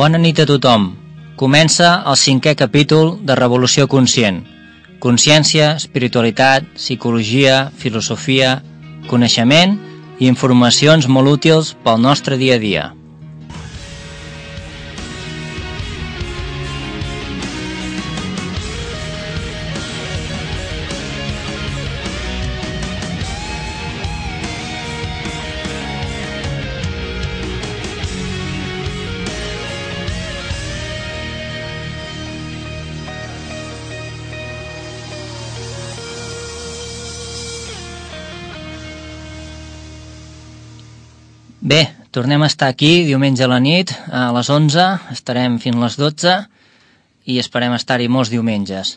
Bona nit a tothom. Comença el 5è capítol de Revolució Conscient. Consciència, espiritualitat, psicologia, filosofia, coneixement i informacions molt útils pel nostre dia a dia. Bé, tornem a estar aquí diumenge a la nit, a les 11, estarem fins a les 12 i esperem estar-hi molts diumenges.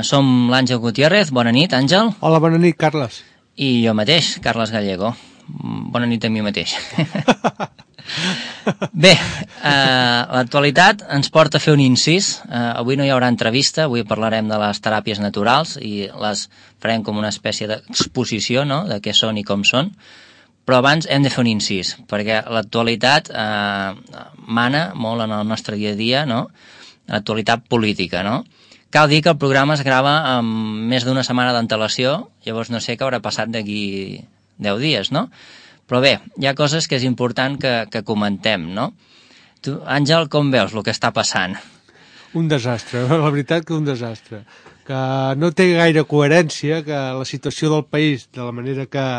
Som l'Àngel Gutiérrez, bona nit, Àngel. Hola, bona nit, Carles. I jo mateix, Carles Gallego. Bona nit a mi mateix. Bé, l'actualitat ens porta a fer un incís. Avui no hi haurà entrevista, avui parlarem de les teràpies naturals i les farem com una espècie d'exposició, no?, de què són i com són. Però abans hem de fer un incís, perquè l'actualitat mana molt en el nostre dia a dia, no? L'actualitat política, no? Cal dir que el programa es grava amb més d'una setmana d'antelació, llavors no sé què haurà passat d'aquí 10 dies, no? Però bé, hi ha coses que és important que comentem, no? Tu, Àngel, com veus el que està passant? Un desastre, la veritat que un desastre. Que no té gaire coherència que la situació del país, de la manera que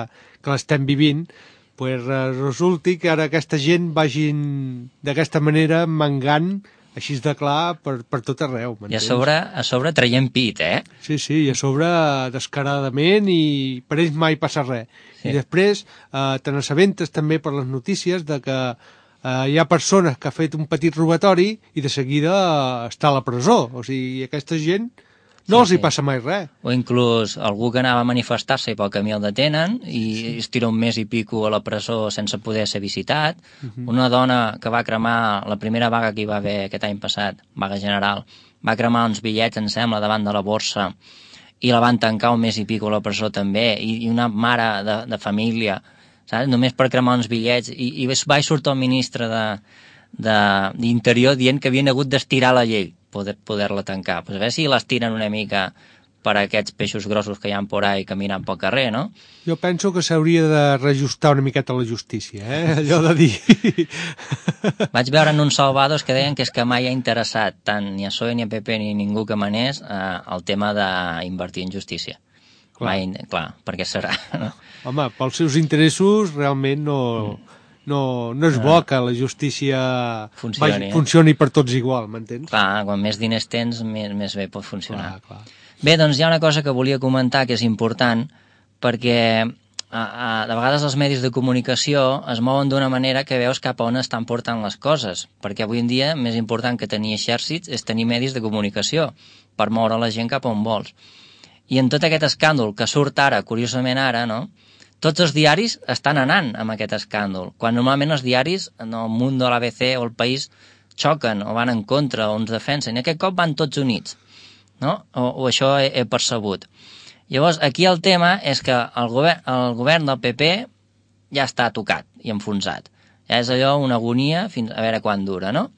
l'estem vivint, pues resulti que ara aquesta gent vagin d'aquesta manera mangant així de clar per tot arreu, m'entens? I a sobre traient pit, eh? Sí, i a sobre descaradament i per ells mai passa res. Sí. I després te n'assabentes també per les notícies de que hi ha persones que ha fet un petit robatori i de seguida està a la presó. O sigui, aquesta gent no els hi passa mai res. O inclús algú que anava a manifestar-se i pel camí el detenen i es tira un mes i pico a la presó sense poder ser visitat. Una dona que va cremar la primera vaga que hi va haver aquest any passat, vaga general, va cremar uns bitllets, em sembla, davant de la borsa i la van tancar un mes i pico a la presó també, i una mare de família, saps? Només per cremar uns bitllets, i va sortir el ministre d'Interior dient que havien hagut d'estirar la llei poder-la tancar. Pues a veure si l'estiren una mica per a aquests peixos grossos que hi ha por ahí caminant pel carrer, no? Jo penso que s'hauria de reajustar una miqueta la justícia, allò de dir... Vaig veure en uns salvados que deien que és que mai ha interessat tant ni a PSOE ni a PP ni ningú que manés el tema d'invertir en justícia. Clar. Clar, per què serà? No? Home, pels seus interessos realment no és bo que la justícia funcioni per tots igual, m'entens? Clar, quan més diners tens, més bé pot funcionar. Clar. Bé, doncs hi ha una cosa que volia comentar que és important, perquè de vegades els medis de comunicació es mouen d'una manera que veus cap a on estan portant les coses, perquè avui en dia més important que tenir exèrcits és tenir medis de comunicació per moure la gent cap a on vols. I en tot aquest escàndol que surt ara, curiosament ara, no?, tots els diaris estan anant amb aquest escàndol, quan normalment els diaris, en el Mundo, l'ABC o el País, xoquen o van en contra o ens defensen, i aquest cop van tots units, no? O això he percebut. Llavors, aquí el tema és que el govern del PP ja està tocat i enfonsat. Ja és allò una agonia fins a veure quan dura, no?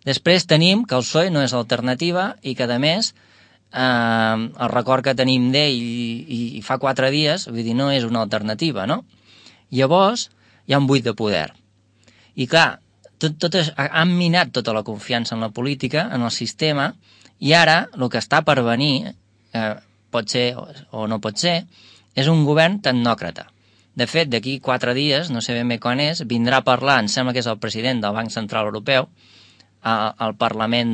Després tenim que el PSOE no és alternativa i que, a més, el record que tenim d'ell i fa 4 dies, vull dir, no és una alternativa, no? Llavors, hi ha un buit de poder. I clar, han minat tota la confiança en la política, en el sistema, i ara el que està per venir, pot ser o no pot ser, és un govern tecnòcrata. De fet, d'aquí 4 dies, no sé ben bé quan és, vindrà a parlar, em sembla que és el president del Banc Central Europeu, al Parlament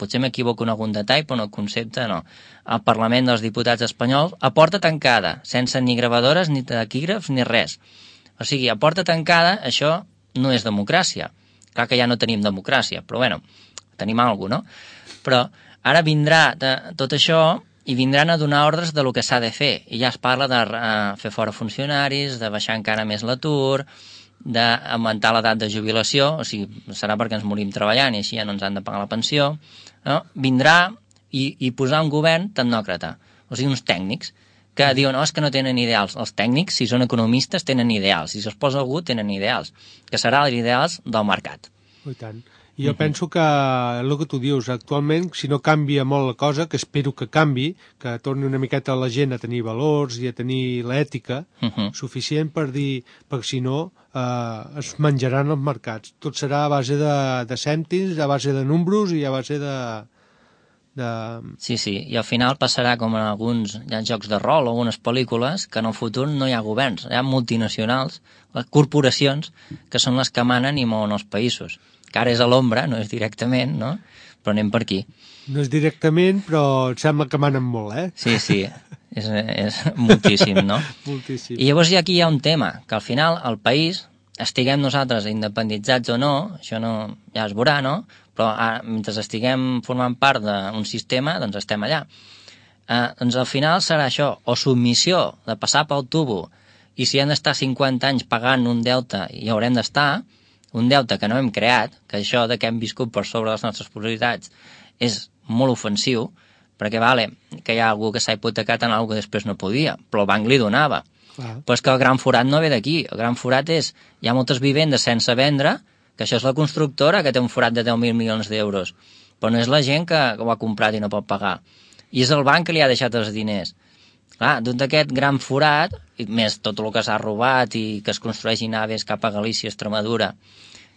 potser m'equivoco en algun detall, però el concepte no, al Parlament dels Diputats espanyols, a porta tancada, sense ni gravadores, ni taquígrafs, ni res. O sigui, a porta tancada, això no és democràcia. Clar que ja no tenim democràcia, però bueno, tenim alguna cosa, no? Però ara vindrà tot això i vindran a donar ordres de lo que s'ha de fer. I ja es parla de fer fora funcionaris, de baixar encara més l'atur, d'augmentar l'edat de jubilació, o sigui, serà perquè ens morim treballant i així ja no ens han de pagar la pensió, no? Vindrà i posar un govern tecnòcrata, o sigui, uns tècnics que diuen, és que no tenen ideals. Els tècnics, si són economistes, tenen ideals. Si se'ls posa algú, tenen ideals, que seran els ideals del mercat. I tant. I jo penso que, el que tu dius, actualment, si no canvia molt la cosa, que espero que canvi, que torni una miqueta la gent a tenir valors i a tenir l'ètica suficient per dir, perquè si no es menjaran els mercats. Tot serà a base de cèntims, a base de números i a base de... Sí, i al final passarà com en alguns jocs de rol o algunes pel·lícules, que en el futur no hi ha governs, hi ha multinacionals, les corporacions, que són les que manen i mouen els països. Que ara és a l'ombra, no és directament, no? Però anem per aquí. No és directament, però et sembla que manen molt, eh? Sí, és moltíssim, no? Moltíssim. I llavors aquí hi ha un tema, que al final el país, estiguem nosaltres independitzats o no, això no, ja es veurà, no? Però mentre estiguem formant part d'un sistema, doncs estem allà. Doncs al final serà això, o submissió de passar pel tubo, i si hem d'estar 50 anys pagant un deute, hi haurem d'estar, un deute que no hem creat, que això de que hem viscut per sobre les nostres possibilitats és molt ofensiu, perquè vale, que hi ha algú que s'ha hipotecat en alguna que després no podia, però el banc li donava. Però és que el gran forat no ve d'aquí, el gran forat és, hi ha moltes vivendes sense vendre, que això és la constructora que té un forat de 10.000 milions d'euros, però no és la gent que ho ha comprat i no pot pagar. I és el banc que li ha deixat els diners. Clar, tot aquest gran forat, i més tot el que s'ha robat i que es construeixin naves cap a Galícia, Extremadura,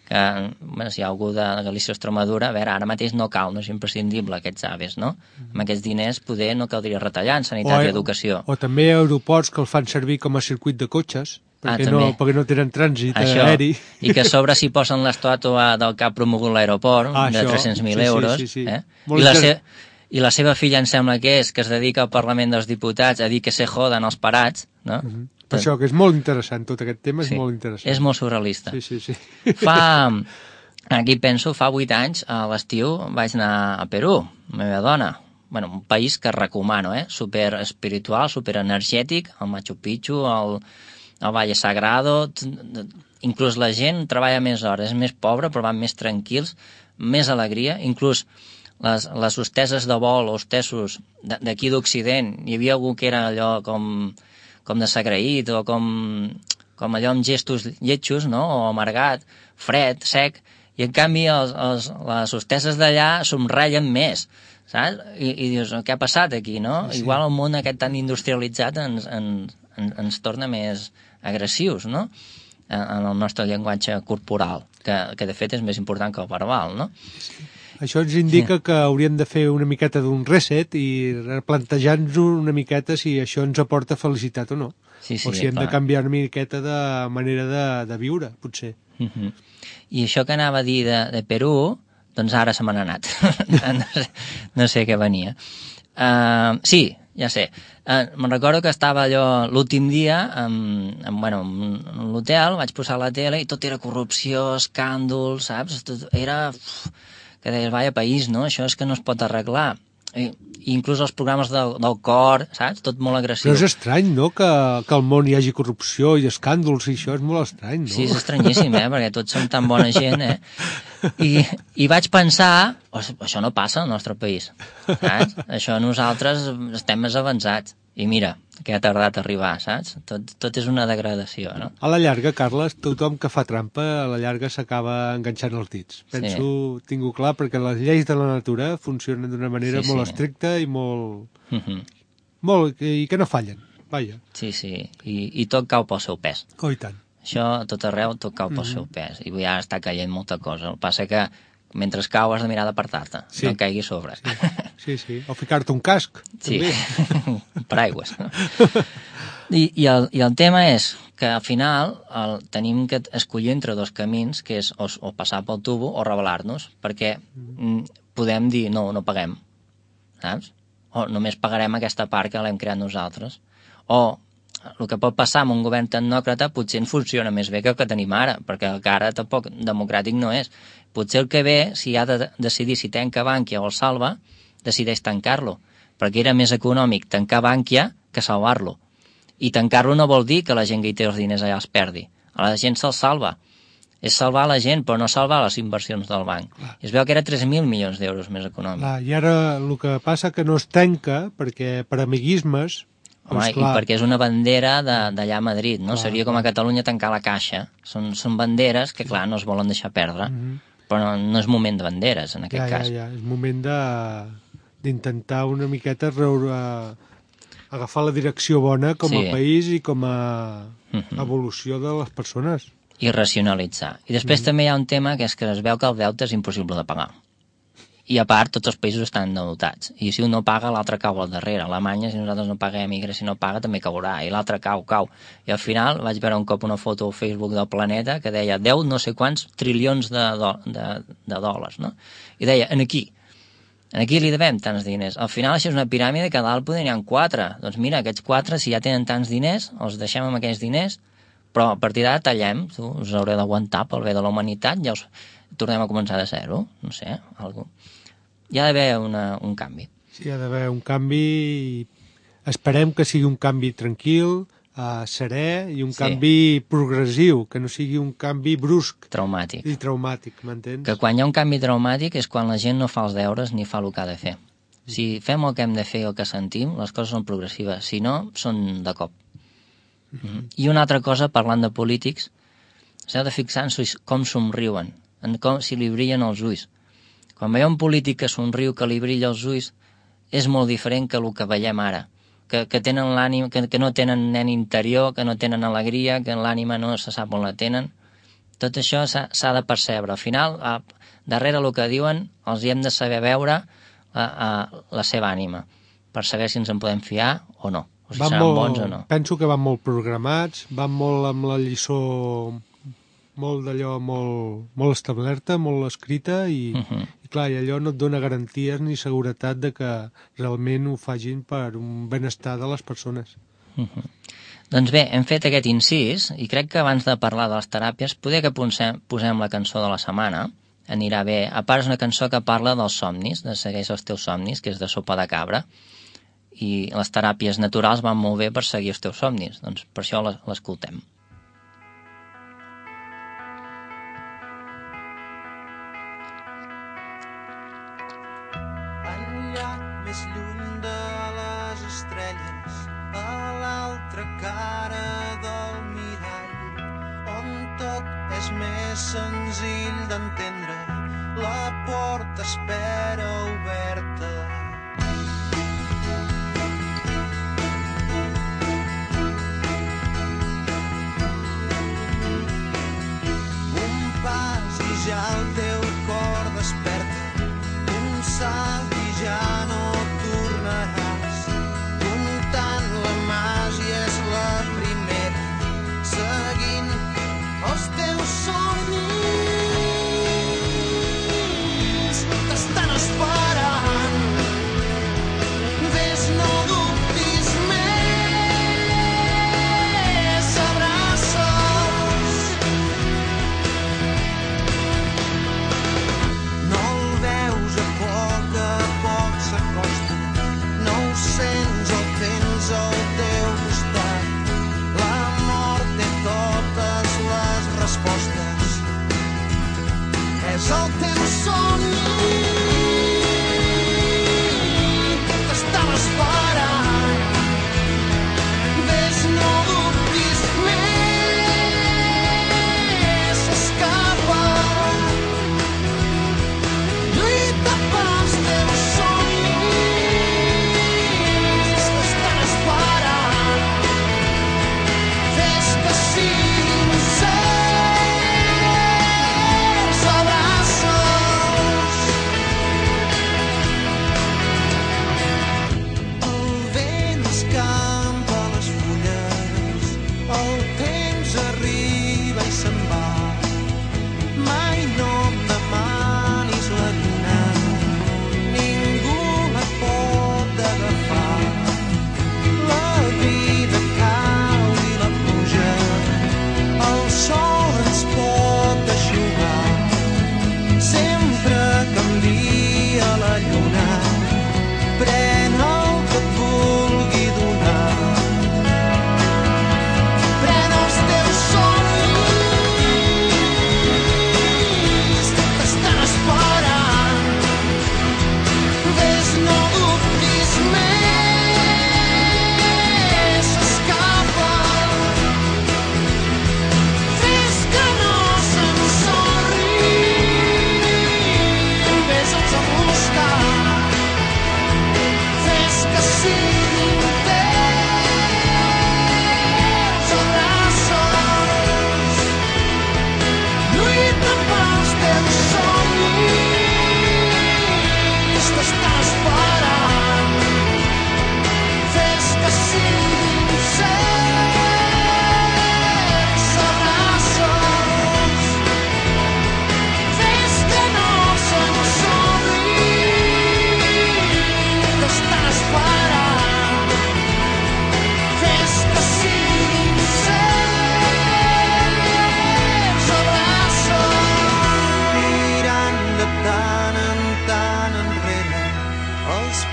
que bueno, si hi ha algú de Galícia o Extremadura, a veure, ara mateix no cal, no és imprescindible aquests aves, no? Amb aquests diners poder no caldria retallar en sanitat i educació. O també aeroports que el fan servir com a circuit de cotxes, perquè no tenen trànsit aeri. I que a sobre s'hi posen l'estàtua del que ha promogut l'aeroport, de 300.000 euros. Sí. I la seva filla em sembla que es dedica al Parlament dels Diputats a dir que se joden els parats, no? Per això, que és molt interessant, tot aquest tema és molt interessant. És molt surrealista. Sí. Aquí penso, fa 8 anys, a l'estiu, vaig anar a Perú, la meva dona. Bueno, un país que recomano, super espiritual, super energètic, el Machu Picchu, el Valle Sagrado, inclús la gent treballa més hores, és més pobra, però van més tranquils, més alegria, inclús les hosteses de vol, hostessos d'aquí d'Occident, hi havia algú que era allò com desagraït o com allò amb gestos lletjos, no? O amargat, fred, sec, i en canvi les hosteses d'allà somreien més, saps? I dius, què ha passat aquí, no? Sí. Igual el món aquest tan industrialitzat ens torna més agressius, no? En el nostre llenguatge corporal, que de fet és més important que el verbal, no? Sí. Això ens indica que hauríem de fer una miqueta d'un reset i replantejar-nos una miqueta si això ens aporta felicitat o no. Sí, o si hem de canviar una miqueta de manera de viure, potser. I això que anava a dir de Perú, doncs ara se me n'ha anat. No sé què venia. Sí, ja sé. Me'n recordo que estava allò l'últim dia en l'hotel, vaig posar la tele i tot era corrupció, escàndol, saps? Tot era... que deies, vaya país, no? Això és que no es pot arreglar. I inclús els programes del cor, saps? Tot molt agressiu. Però és estrany, no?, que al món hi hagi corrupció i escàndols i això és molt estrany, no? Sí, és estranyíssim, perquè tots som tan bona gent, I vaig pensar, això no passa al nostre país, saps? Això nosaltres estem més avançats. I mira, que ha tardat a arribar, saps? Tot és una degradació, no? A la llarga, Carles, tothom que fa trampa, a la llarga s'acaba enganxant els dits. Penso, tinc-ho clar, perquè les lleis de la natura funcionen d'una manera molt estricta i molt... i que no fallen, vaja. Sí, i tot cau pel seu pes. Oh, i tant. Això, a tot arreu, tot cau pel seu pes. I ja està caient molta cosa. El que passa que mentre cau has de mirar d'apartar-te, no caigui a sobre. Sí. O ficar-te un casc. Sí, paraigües. I el tema és que al final tenim que escollir entre dos camins, que és o passar pel tubo o rebel·lar-nos, perquè podem dir no paguem, saps? O només pagarem aquesta part que l'hem creat nosaltres. O el que pot passar amb un govern tecnòcrata potser en funciona més bé que el que tenim ara, perquè el que ara tampoc democràtic no és. Potser el que ve, si ha de decidir si tanca Bankia o el salva, decideix tancar-lo, perquè era més econòmic tancar Bankia que salvar-lo. I tancar-lo no vol dir que la gent que hi té els diners allà els perdi. A la gent se'ls salva. És salvar la gent, però no salvar les inversions del banc. I es veu que era 3.000 milions d'euros més econòmic. I ara el que passa que no es tanca, perquè per amiguismes... Home, i perquè és una bandera d'allà a Madrid, no? Seria com a Catalunya tancar la Caixa. Són banderes que, clar, no es volen deixar perdre. però no és moment de banderes, en aquest cas. Ja, és moment d'intentar una miqueta agafar la direcció bona com a país i com a evolució de les persones. I racionalitzar. I després també hi ha un tema que és que es veu que el deute és impossible de pagar. I a part, tots els països estan endeutats. I si un no paga, l'altre cau al darrere. Alemanya, si nosaltres no paguem, i Grècia no paga, també caurà. I l'altre cau. I al final vaig veure un cop una foto al Facebook del Planeta que deia 10 no sé quants trilions de dòlars, no? I deia, aquí li devem tants diners. Al final això és una piràmide que a dalt poder n'hi ha 4. Doncs mira, aquests 4, si ja tenen tants diners, els deixem amb aquells diners, però a partir d'ara tallem. Us haureu d'aguantar pel bé de la humanitat, ja tornem a començar de zero, no sé, alguna cosa. Hi ha d'haver un canvi. Sí, hi ha d'haver un canvi i esperem que sigui un canvi tranquil, serè i un canvi progressiu, que no sigui un canvi brusc. Traumàtic. I traumàtic, m'entens? Que quan hi ha un canvi traumàtic és quan la gent no fa els deures ni fa el que ha de fer. Si fem el que hem de fer i el que sentim, les coses són progressives. Si no, són de cop. I una altra cosa, parlant de polítics, s'heu de fixar en com somriuen, si li brillen els ulls. Quan veieu un polític que somriu, que li brilla els ulls, és molt diferent que el que veiem ara. Que tenen l'ànima, que no tenen nen interior, que no tenen alegria, que l'ànima no se sap on la tenen. Tot això s'ha de percebre. Al final, darrere el que diuen, els hi hem de saber veure la seva ànima, per saber si ens en podem fiar o no, o si seran bons o no. Penso que van molt programats, van molt amb la lliçó molt d'allò, molt establerta, molt escrita i clar, i allò no et dona garanties ni seguretat de que realment ho facin per un benestar de les persones. Doncs bé, hem fet aquest incís i crec que abans de parlar de les teràpies poder que posem la cançó de la setmana, anirà bé. A part és una cançó que parla dels somnis, de Segueix els teus somnis, que és de Sopa de Cabra, i les teràpies naturals van molt bé per seguir els teus somnis, doncs per això l'escoltem. Més lluny de les estrelles, a l'altra cara del mirall, on tot és més senzill d'entendre, la porta espera oberta. Un pas i ja el teu cor desperta, un salt i ja no tornaràs, comptant la màgia és la primera, seguint els teus somnis, t'estan esperant.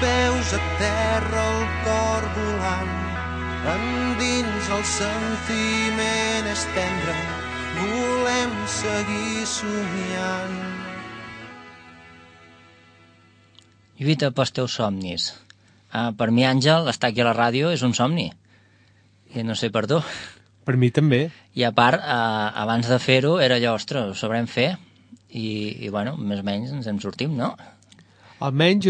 peus a terra, el cor volant, endins el sentiment és tendre, volem seguir somiant. Lluita pels teus somnis. Per mi, Àngel, estar aquí a la ràdio és un somni. I no sé per tu. Per mi també. I a part, abans de fer-ho, era allò, ostres, ho sabrem fer. I bueno, més o menys ens en sortim, no? Almenys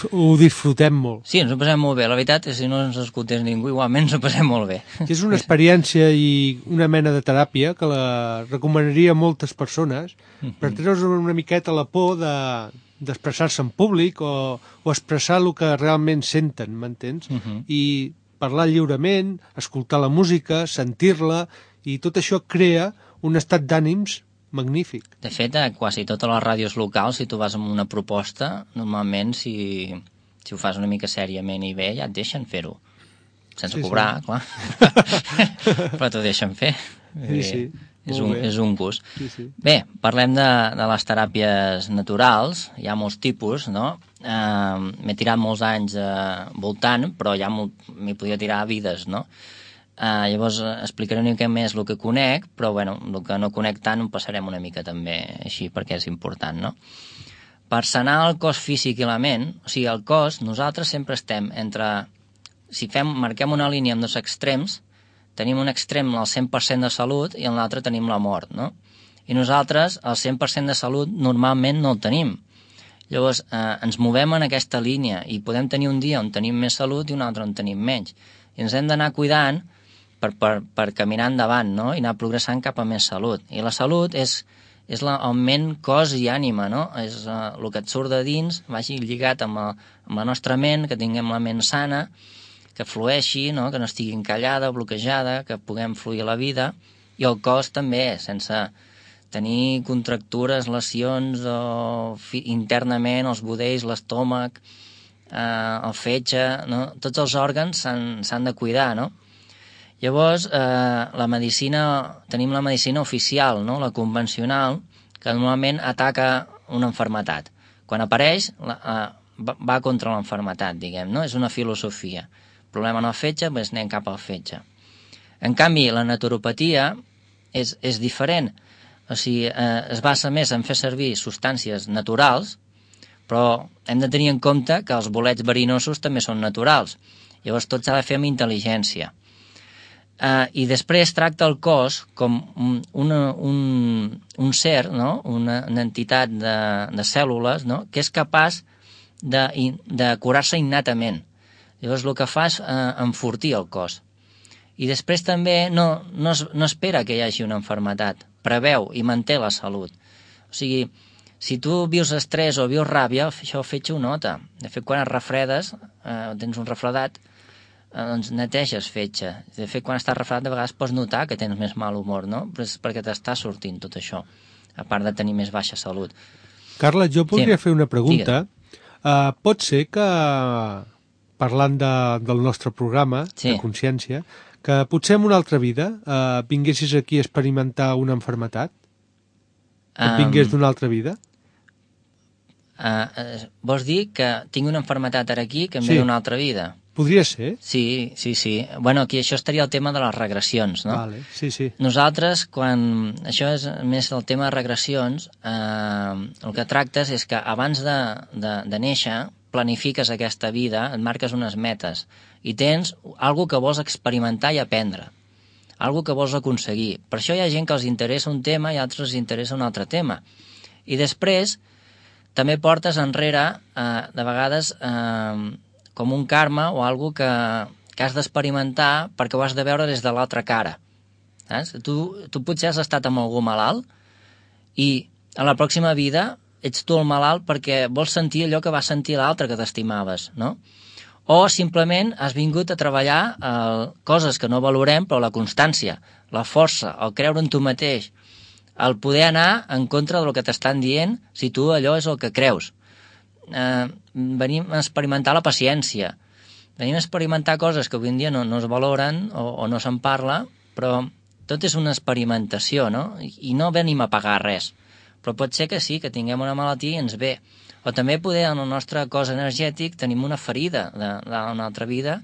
ho disfrutem molt. Sí, ens ho passem molt bé. La veritat és que si no ens escoltés ningú, igualment ens ho passem molt bé. És una experiència i una mena de teràpia que la recomanaria a moltes persones per treure's una miqueta la por d'expressar-se en públic o expressar el que realment senten, m'entens? I parlar lliurement, escoltar la música, sentir-la, i tot això crea un estat d'ànims magnífic. De fet, a quasi totes les ràdios locals, si tu vas amb una proposta, normalment, si ho fas una mica sèriament i bé, ja et deixen fer-ho. Sense cobrar, clar. Però t'ho deixen fer. Sí. És un gust. Sí. Bé, parlem de les teràpies naturals. Hi ha molts tipus, no? M'he tirat molts anys voltant, però ja m'hi podia tirar vides, no? Llavors explicaré una mica més el que conec, però bueno, el que no conec tant ho passarem una mica també així perquè és important, no? Per sanar el cos físic i la ment, o sigui, el cos, nosaltres sempre estem entre... Si marquem una línia amb dos extrems, tenim un extrem al 100% de salut i en l'altre tenim la mort, no? I nosaltres el 100% de salut normalment no el tenim. Llavors ens movem en aquesta línia i podem tenir un dia on tenim més salut i un altre on tenim menys. I ens hem d'anar cuidant per caminar endavant, no? I anar progressant cap a més salut. I la salut és el ment, cos i ànima, no? És el que et surt de dins, vagi lligat amb la nostra ment, que tinguem la ment sana, que flueixi, no? Que no estigui encallada, bloquejada, que puguem fluir la vida, i el cos també, sense tenir contractures, lesions internament, els budells, l'estómac, el fetge, no? Tots els òrgans s'han de cuidar, no? Llavors, tenim la medicina oficial, no? La convencional, que normalment ataca una malaltia. Quan apareix, va contra l'enfermetat, diguem, no? És una filosofia. Problema en el fetge, doncs anem cap al fetge. En canvi, la naturopatia és diferent. O sigui, es basa més en fer servir substàncies naturals, però hem de tenir en compte que els bolets verinosos també són naturals. Llavors tot s'ha de fer amb intel·ligència. I després tracta el cos com un ser, no? Una entitat de cèl·lules, no? Que és capaç de curar-se innatament. Llavors el que fa és enfortir el cos. I després també no espera que hi hagi una malaltia, preveu i manté la salut. O sigui, si tu vius estrès o vius ràbia, això el fetge ho nota. De fet, quan et refredes, tens un refredat, doncs neteges fetge. De fet, quan estàs refredat, de vegades pots notar que tens més mal humor, no? Però és perquè t'està sortint tot això, a part de tenir més baixa salut. Carles, jo podria fer una pregunta. Pot ser que, parlant del nostre programa de consciència, que potser en una altra vida vinguessis aquí a experimentar una malaltia? Que vingués d'una altra vida? Vols dir que tinc una malaltia ara aquí que em ve d'una altra vida? Podria ser? Sí. Bueno, aquí això estaria el tema de les regressions, no? Vale, sí. Nosaltres, quan... Això és més el tema de regressions, el que tractes és que abans de néixer planifiques aquesta vida, et marques unes metes i tens alguna que vols experimentar i aprendre, alguna que vols aconseguir. Per això hi ha gent que els interessa un tema i altres els interessa un altre tema. I després també portes enrere, de vegades, com un karma o alguna que has d'experimentar perquè ho has de veure des de l'altra cara. Saps? Tu potser has estat amb algú malalt i a la pròxima vida ets tu el malalt perquè vols sentir allò que va sentir l'altre que t'estimaves, no? O simplement has vingut a treballar coses que no valorem, però la constància, la força, el creure en tu mateix, el poder anar en contra del que t'estan dient si tu allò és el que creus. Venim a experimentar la paciència, venim a experimentar coses que avui en dia no es valoren o no se'n parla, però tot és una experimentació, no? I no venim a pagar res, però pot ser que sí, que tinguem una malaltia i ens ve, Però també poder en el nostre cos energètic tenim una ferida d'una altra vida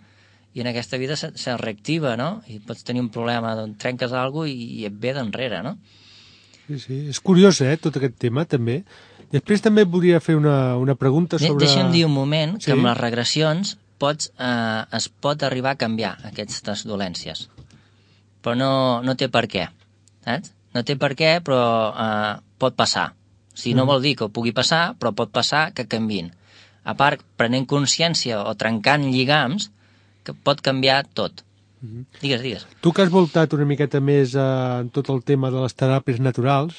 i en aquesta vida se reactiva, no? I pots tenir un problema, doncs trenques alguna cosa i et ve d'enrere, no? Sí, és curiós, tot aquest tema, també. Després també volia fer una pregunta sobre... Deixa'm dir un moment que amb les regressions es pot arribar a canviar aquestes dolències. Però no té per què, saps? No té per què, però pot passar. No vol dir que ho pugui passar, però pot passar que canviïn. A part, prenent consciència o trencant lligams, que pot canviar tot. Digues. Tu que has voltat una miqueta més en tot el tema de les teràpies naturals,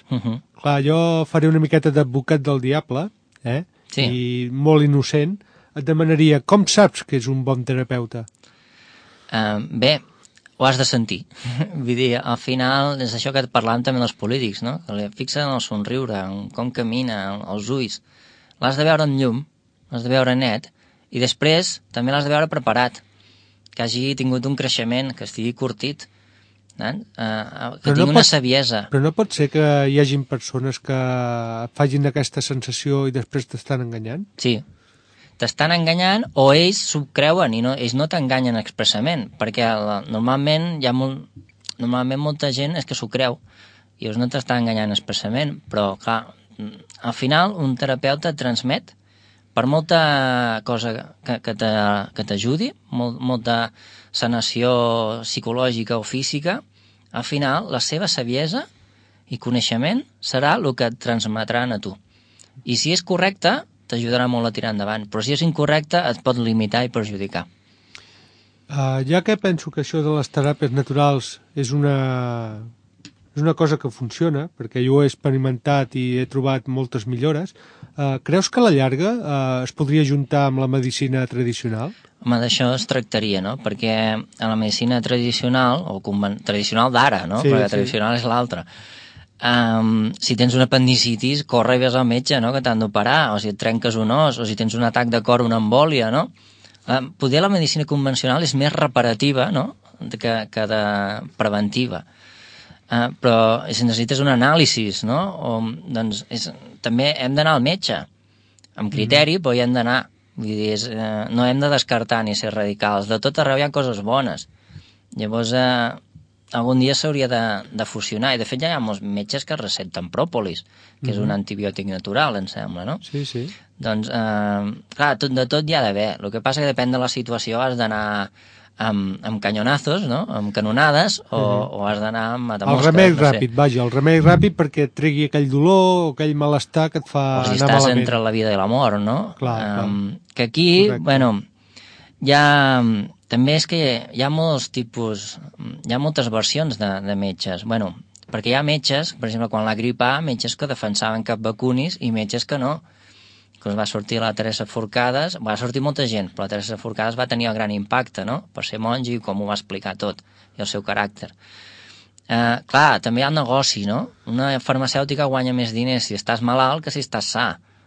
clar, jo faré una miqueta d'advocat del diable, Sí. I molt innocent, et demanaria, com saps que és un bon terapeuta? Bé, ho has de sentir. Vull dir, al final és això que parlàvem també dels polítics, no? Fixa't en el somriure, en com camina, els ulls. L'has de veure en llum, l'has de veure net, i després també l'has de veure preparat, que hagi tingut un creixement, que estigui curtit, que tingui una saviesa. Però no pot ser que hi hagin persones que facin aquesta sensació i després t'estan enganyant? Sí, t'estan enganyant o ells s'ho creuen i ells no t'enganyen expressament, perquè normalment molta gent és que s'ho creu i ells no t'estan enganyant expressament, però clar, al final un terapeuta transmet per molta cosa que t'ajudi, molta sanació psicològica o física, al final la seva saviesa i coneixement serà el que et transmetran a tu. I si és correcte, t'ajudarà molt a tirar endavant, però si és incorrecte et pot limitar i perjudicar. Ja que penso que això de les teràpies naturals és una cosa que funciona, perquè jo ho he experimentat i he trobat moltes millores, creus que a la llarga es podria juntar amb la medicina tradicional? Home, d'això es tractaria, no? Perquè a la medicina tradicional, o tradicional d'ara, no? Perquè tradicional és l'altra. Si tens una apendicitis, corre i ves al metge, no? Que t'han d'operar, o si et trenques un os, o si tens un atac de cor, una embòlia, no? Poder la medicina convencional és més reparativa, no? que de preventiva. Però si necessites un anàlisi, no? Doncs també hem d'anar al metge, amb criteri, però hi hem d'anar. Vull dir, no hem de descartar ni ser radicals. De tot arreu hi ha coses bones. Llavors, algun dia s'hauria de fusionar. I de fet ja hi ha molts metges que receten pròpolis, que és un antibiòtic natural, em sembla, no? Sí, sí. Doncs, clar, de tot hi ha d'haver. El que passa que depèn de la situació, has d'anar amb canyonazos, no? Amb canonades, o has d'anar amb matamosques. El remei ràpid, vaja, el remei ràpid perquè et tregui aquell dolor o aquell malestar que et fa anar malament. O si estàs entre la vida i la mort, no? Clar. Que aquí, bueno, també és que hi ha molts tipus, hi ha moltes versions de metges. Bueno, perquè hi ha metges, per exemple, quan la grip A, metges que defensaven cap vacunis i metges que no. Que va sortir la Teresa Forcades, va sortir molta gent, però la Teresa Forcades va tenir el gran impacte, no?, per ser monja i com ho va explicar tot, i el seu caràcter. Clar, també hi ha el negoci, no? Una farmacèutica guanya més diners si estàs malalt que si estàs sa.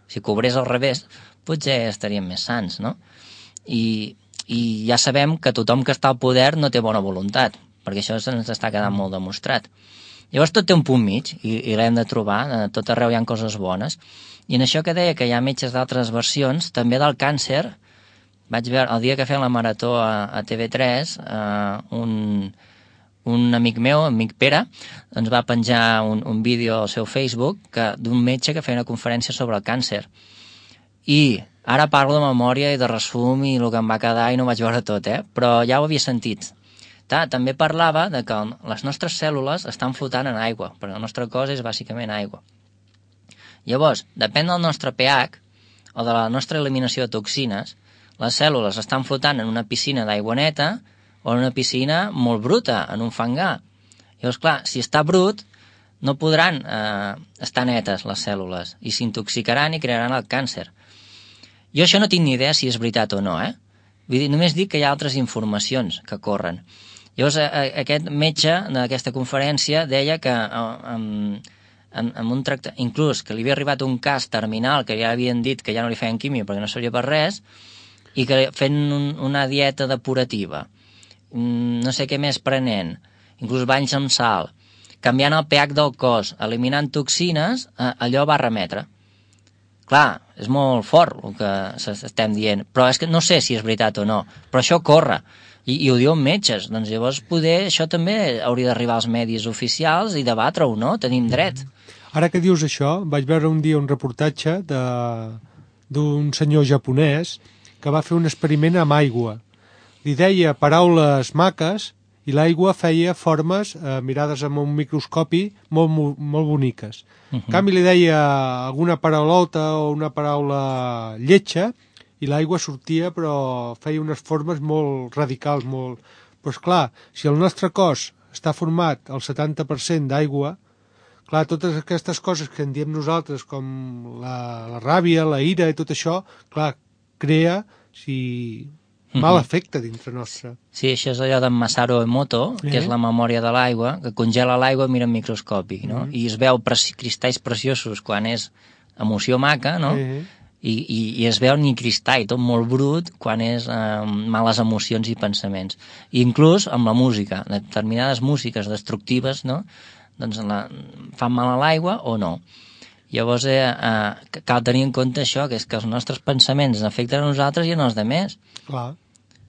Si cobrés al revés, potser estaríem més sans, no? I ja sabem que tothom que està al poder no té bona voluntat, perquè això se'ns està quedant molt demostrat. Llavors tot té un punt mig, i l'hem de trobar, tot arreu hi ha coses bones. I en això que deia que hi ha metges d'altres versions, també del càncer, vaig veure, el dia que feien la marató a TV3, un amic meu, amic Pere, ens va penjar un vídeo al seu Facebook d'un metge que feia una conferència sobre el càncer. I ara parlo de memòria i de resum i el que em va quedar i no ho vaig veure tot, però ja ho havia sentit. També parlava de que les nostres cèl·lules estan flotant en aigua, perquè el nostre cos és bàsicament aigua. Llavors, depèn del nostre pH o de la nostra eliminació de toxines, les cèl·lules estan flotant en una piscina d'aigua neta o en una piscina molt bruta, en un fangar. Llavors, clar, si està brut, no podran estar netes les cèl·lules i s'intoxicaran i crearan el càncer. Jo això no tinc ni idea si és veritat o no, Vull dir, només dic que hi ha altres informacions que corren. Llavors, aquest metge d'aquesta conferència deia que amb un inclús que li havia arribat un cas terminal que ja havien dit que ja no li feien quimio perquè no servia per res i que fent una dieta depurativa, no sé què més prenent, inclús banys amb sal, canviant el pH del cos, eliminant toxines, allò va remetre. Clar, és molt fort el que estem dient, però és que no sé si és veritat o no, però això corre, i ho diuen metges, doncs llavors poder això també hauria d'arribar als medis oficials i debatre-ho, no? Tenim dret. Ara que dius això, vaig veure un dia un reportatge d'un senyor japonès que va fer un experiment amb aigua. Li deia paraules maques i l'aigua feia formes mirades amb un microscopi molt boniques. En canvi li deia alguna paraulota o una paraula lletja i l'aigua sortia però feia unes formes molt radicals, molt... Però esclar, si el nostre cos està format al 70% d'aigua, clar, totes aquestes coses que en diem nosaltres, com la ràbia, la ira i tot això, clar, crea mal efecte dintre nostre. Sí, això és allò d'en Masaru Emoto, que és la memòria de l'aigua, que congela l'aigua i mira en microscopi, no? I es veu cristalls preciosos quan és emoció maca, no? I es veu ni cristall, tot molt brut, quan és males emocions i pensaments. I inclús amb la música, determinades músiques destructives, no? Doncs fan mal a l'aigua o no. Llavors cal tenir en compte això, que és que els nostres pensaments afecten a nosaltres i a els altres. Clar.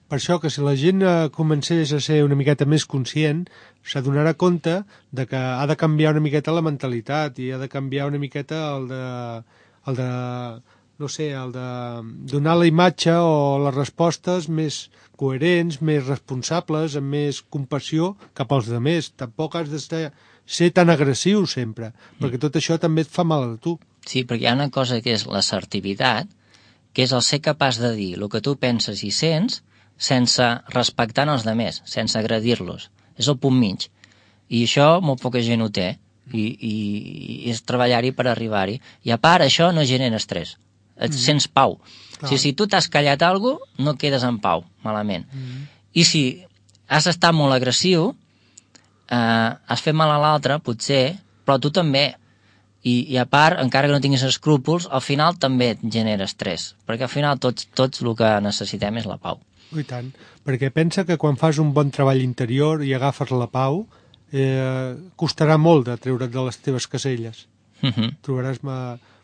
Per això que si la gent comencés a ser una miqueta més conscient, s'adonarà compte de que ha de canviar una miqueta la mentalitat i ha de canviar una miqueta el de donar la imatge o les respostes més coherents, més responsables, amb més compassió cap als altres. Tampoc has de ser tan agressiu sempre, perquè tot això també et fa mal a tu. Sí, perquè hi ha una cosa que és l'assertivitat, que és el ser capaç de dir el que tu penses i sents sense respectar els altres, sense agredir-los. És el punt mig. I això molt poca gent ho té, i és treballar-hi per arribar-hi. I a part, això no genera estrès. Et sents pau. Si tu t'has callat alguna cosa, no quedes en pau, malament. I si has estat molt agressiu, has fet mal a l'altre, potser, però tu també. I a part, encara que no tinguis escrúpols, al final també et genera estrès, perquè al final tots el que necessitem és la pau. I tant, perquè pensa que quan fas un bon treball interior i agafes la pau, costarà molt de treure't de les teves caselles. Trobaràs...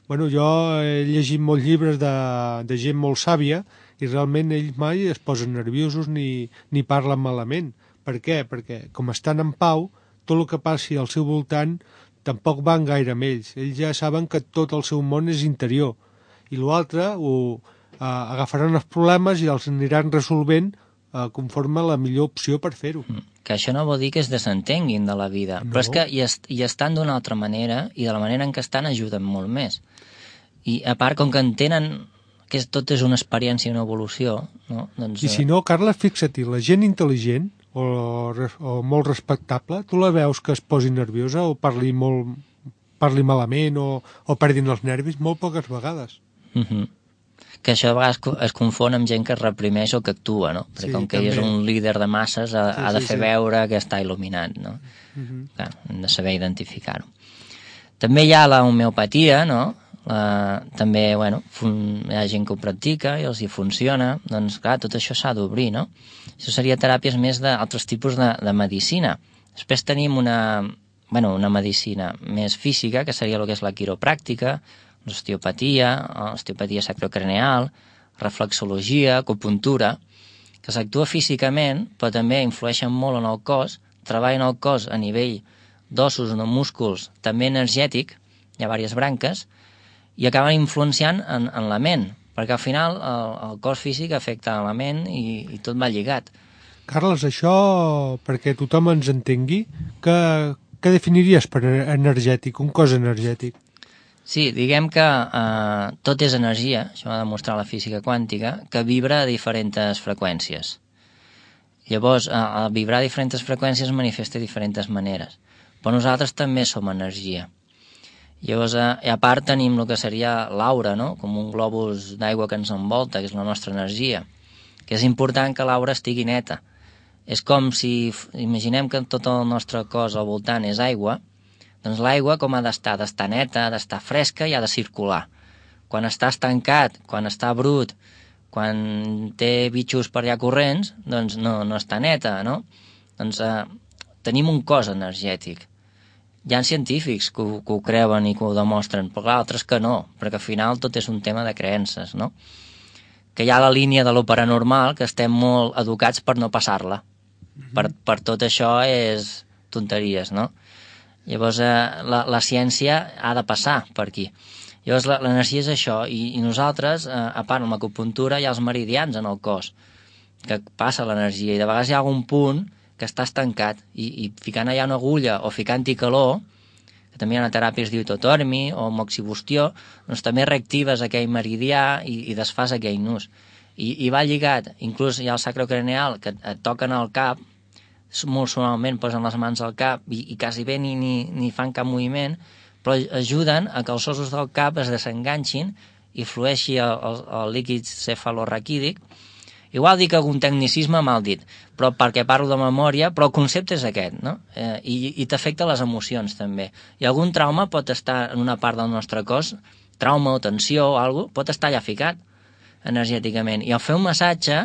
Bueno, jo he llegit molts llibres de gent molt sàvia i realment ells mai es posen nerviosos ni parlen malament. Per què? Perquè com estan en pau, tot el que passi al seu voltant tampoc van gaire amb ells. Ells ja saben que tot el seu món és interior. I l'altre agafaran els problemes i els aniran resolvent conforme la millor opció per fer-ho. Que això no vol dir que es desentenguin de la vida, però és que hi estan d'una altra manera i de la manera en què estan ajuden molt més. I a part, com que entenen que tot és una experiència i una evolució, no? Doncs, I si no, Carles, fixa-t'hi, la gent intel·ligent o molt respectable, tu la veus que es posi nerviosa o parli malament o perdin els nervis molt poques vegades. Que això a vegades es confon amb gent que es reprimeix o que actua, no? Perquè com que ell és un líder de masses ha de fer veure que està il·luminat, no? Clar, hem de saber identificar-ho. També hi ha la homeopatia, no? També, bueno, hi ha gent que ho practica i els hi funciona, doncs clar, tot això s'ha d'obrir, no? Això seria teràpies més d'altres tipus de medicina. Després tenim una medicina més física, que seria el que és la quiropràctica, osteopatia sacrocraneal, reflexologia, acupuntura, que s'actua físicament, però també influeixen molt en el cos, treballen el cos a nivell d'ossos, de músculs, també energètic, hi ha diverses branques, i acaben influenciant en la ment, perquè al final el cos físic afecta la ment i tot va lligat. Carles, això, perquè tothom ens entengui, què definiries per energètic, un cos energètic? Sí, diguem que tot és energia, això va demostrar la física quàntica, que vibra a diferents freqüències. Llavors, al vibrar a diferents freqüències es manifesta de diferents maneres, però nosaltres també som energia. Llavors, a part tenim el que seria l'aura, no? Com un globus d'aigua que ens envolta, que és la nostra energia, que és important que l'aura estigui neta. És com si, imaginem que tot el nostre cos al voltant és aigua, doncs l'aigua com ha d'estar? Ha d'estar neta, ha d'estar fresca i ha de circular. Quan està estancat, quan està brut, quan té bitxos per allà corrents, doncs no està neta, no? Doncs tenim un cos energètic. hi ha científics que ho creuen i que ho demostren, però clar, altres que no, perquè al final tot és un tema de creences, no? Que hi ha la línia de lo paranormal, que estem molt educats per no passar-la. Per tot això és tonteries, no? Llavors, la ciència ha de passar per aquí. Llavors, l'energia és això, i nosaltres, a part, amb l'acupuntura, hi ha els meridians en el cos, que passa l'energia, i de vegades hi ha algun punt que està estancat, i ficant allà una agulla o ficant-hi calor, que també hi ha una teràpia que es diu totormi o moxibustió, doncs també reactives aquell meridià i desfas aquell nus. I va lligat, inclús hi ha el sacrocraneal, que et toquen al cap, molt suaument posen les mans al cap i quasi bé ni fan cap moviment, però ajuden a que els ossos del cap es desenganxin i flueixi el líquid cefalorraquídic. Igual dic algun tecnicisme mal dit, però perquè parlo de memòria, però el concepte és aquest, no? I t'afecta les emocions, també. I algun trauma pot estar en una part del nostre cos, trauma o tensió o alguna cosa, pot estar allà ficat energèticament. I al fer un massatge,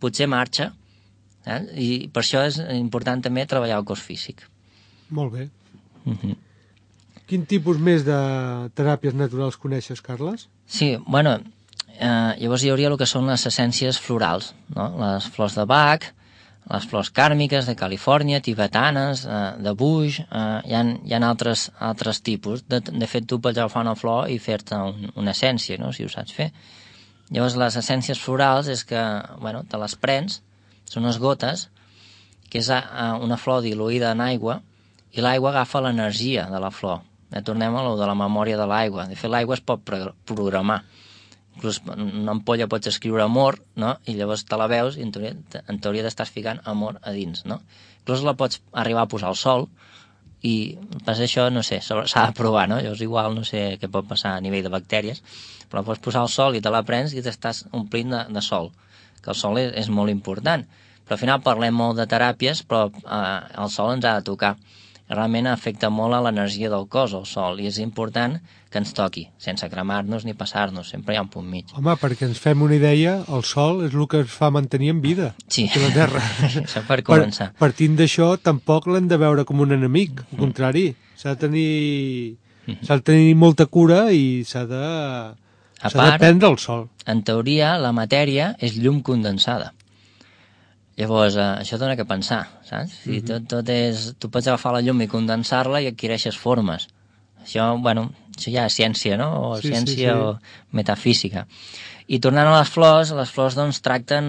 potser marxa. I per això és important també treballar el cos físic. Molt bé. Quin tipus més de teràpies naturals coneixes, Carles? Sí, bueno... llavors hi hauria el que són les essències florals, no? Les flors de Bach, les flors kàrmiques de Califòrnia, tibetanes, de Buix, hi ha altres tipus. De fet, tu pots agafar una flor i fer-te una essència, no? Si ho saps fer. Llavors, les essències florals és que, bueno, te les prens, són unes gotes, que és una flor diluïda en aigua, i l'aigua agafa l'energia de la flor. Tornem a lo de la memòria de l'aigua. De fet, l'aigua es pot programar. Inclús en una ampolla pots escriure amor, no? I llavors te la veus i en teoria t'estàs ficant amor a dins, no? Inclús la pots arribar a posar al sol i pas això, no sé, s'ha de provar, no? Llavors igual no sé què pot passar a nivell de bactèries, però la pots posar al sol i te la prens i t'estàs omplint de sol, que el sol és molt important. Però al final parlem molt de teràpies, però el sol ens ha de tocar. Realment afecta molt a l'energia del cos, el sol, i és important que ens toqui, sense cremar-nos ni passar-nos, sempre hi ha un punt mig. Home, perquè ens fem una idea, el sol és el que ens fa mantenir en vida, sí. A la Terra. Això per començar. Partint d'això, tampoc l'hem de veure com un enemic, al contrari, s'ha de tenir molta cura i s'ha de prendre el sol. En teoria, la matèria és llum condensada. Llavors, això dona que pensar, saps? Si tot és... Tu pots agafar la llum i condensar-la i adquireixes formes. Això, bueno, això ja és ciència, no? O ciència o metafísica. I tornant a les flors doncs tracten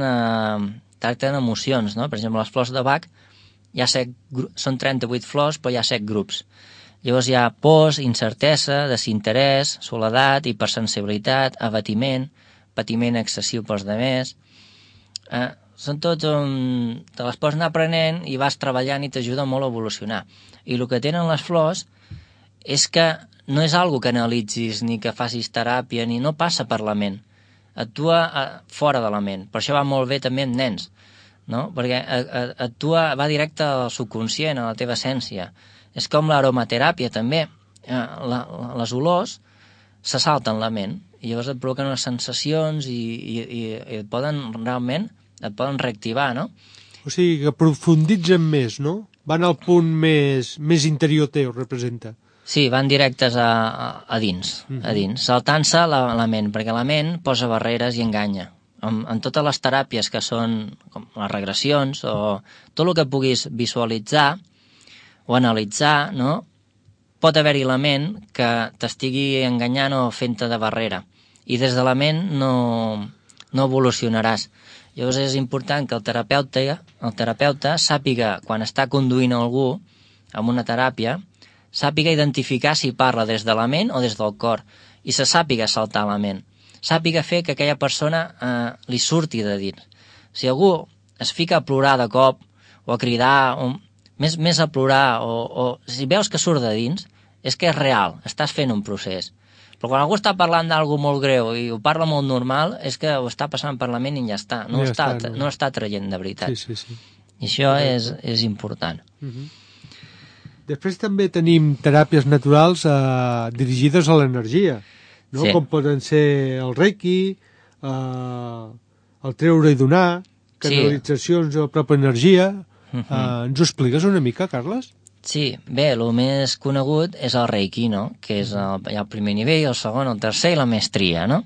emocions, no? Per exemple, les flors de Bach són 38 flors, però hi ha 7 grups. Llavors hi ha pors, incertesa, desinterès, soledat, hipersensibilitat, abatiment, patiment excessiu pels demés... Són tots on te les pots anar aprenent i vas treballant i t'ajuda molt a evolucionar. I el que tenen les flors és que no és algo que analitzis ni que facis teràpia, ni no passa per la ment. Actua fora de la ment. Per això va molt bé també en nens, no? Perquè va directe al subconscient, a la teva essència. És com l'aromateràpia també. Les olors se salten la ment i llavors et provoquen unes sensacions i et poden realment et poden reactivar, no? O sigui, que profunditzen més, no? Van al punt més interior teu, representa. Sí, van directes a dins, saltant-se la ment, perquè la ment posa barreres i enganya. En totes les teràpies que són com les regressions o tot el que puguis visualitzar o analitzar, no? Pot haver-hi la ment que t'estigui enganyant o fent-te de barrera. I des de la ment no evolucionaràs. Llavors és important que el terapeuta sàpiga, quan està conduint algú amb una teràpia, sàpiga identificar si parla des de la ment o des del cor, i se sàpiga saltar la ment. Sàpiga fer que aquella persona li surti de dins. Si algú es fica a plorar de cop, o a cridar, més a plorar, o si veus que surt de dins, és que és real, estàs fent un procés. Però quan algú està parlant d'algú molt greu i ho parla molt normal, és que ho està passant per la ment i ja està. No està traient de veritat. Sí. I això és important. Després també tenim teràpies naturals dirigides a l'energia, no? Com poden ser el reiki, el treure i donar, canalitzacions de la pròpia energia. Ens ho expliques una mica, Carles? Sí, bé, el més conegut és el Reiki, no? Que és hi ha el primer nivell, el segon, el tercer i la maestria, no?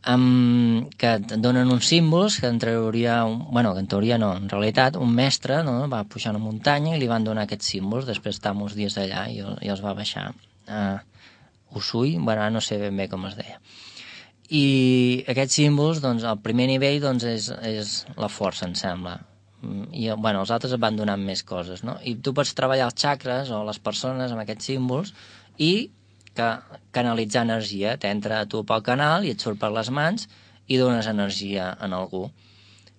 Que et donen uns símbols que en teoria, que en teoria no, en realitat un mestre, no, va pujar una muntanya i li van donar aquests símbols, després d'estar uns dies allà i els va baixar a Usui, no sé ben bé com es deia. I aquests símbols, doncs, el primer nivell doncs, és la força, em sembla. I els altres et van donant més coses, no? I tu pots treballar els xacres o les persones amb aquests símbols i canalitzar energia. T'entra a tu pel canal i et surt per les mans i dones energia a algú.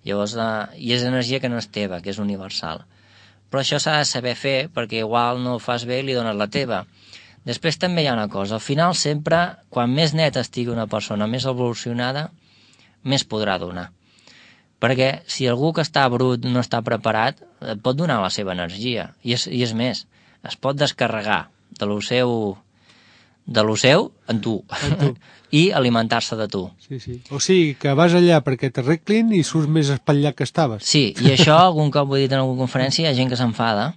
Llavors, i és energia que no és teva, que és universal. Però això s'ha de saber fer perquè igual no ho fas bé i li dones la teva. Després també hi ha una cosa, al final sempre, quan més net estigui una persona, més evolucionada, més podrà donar. Perquè si algú que està brut no està preparat, et pot donar la seva energia. I és més, es pot descarregar de lo seu en tu. I alimentar-se de tu. Sí, sí. O sigui, que vas allà perquè t'arreglin i surts més espatllat que estaves. Sí, i això algun cop ho he dit en alguna conferència, hi ha gent que s'enfada,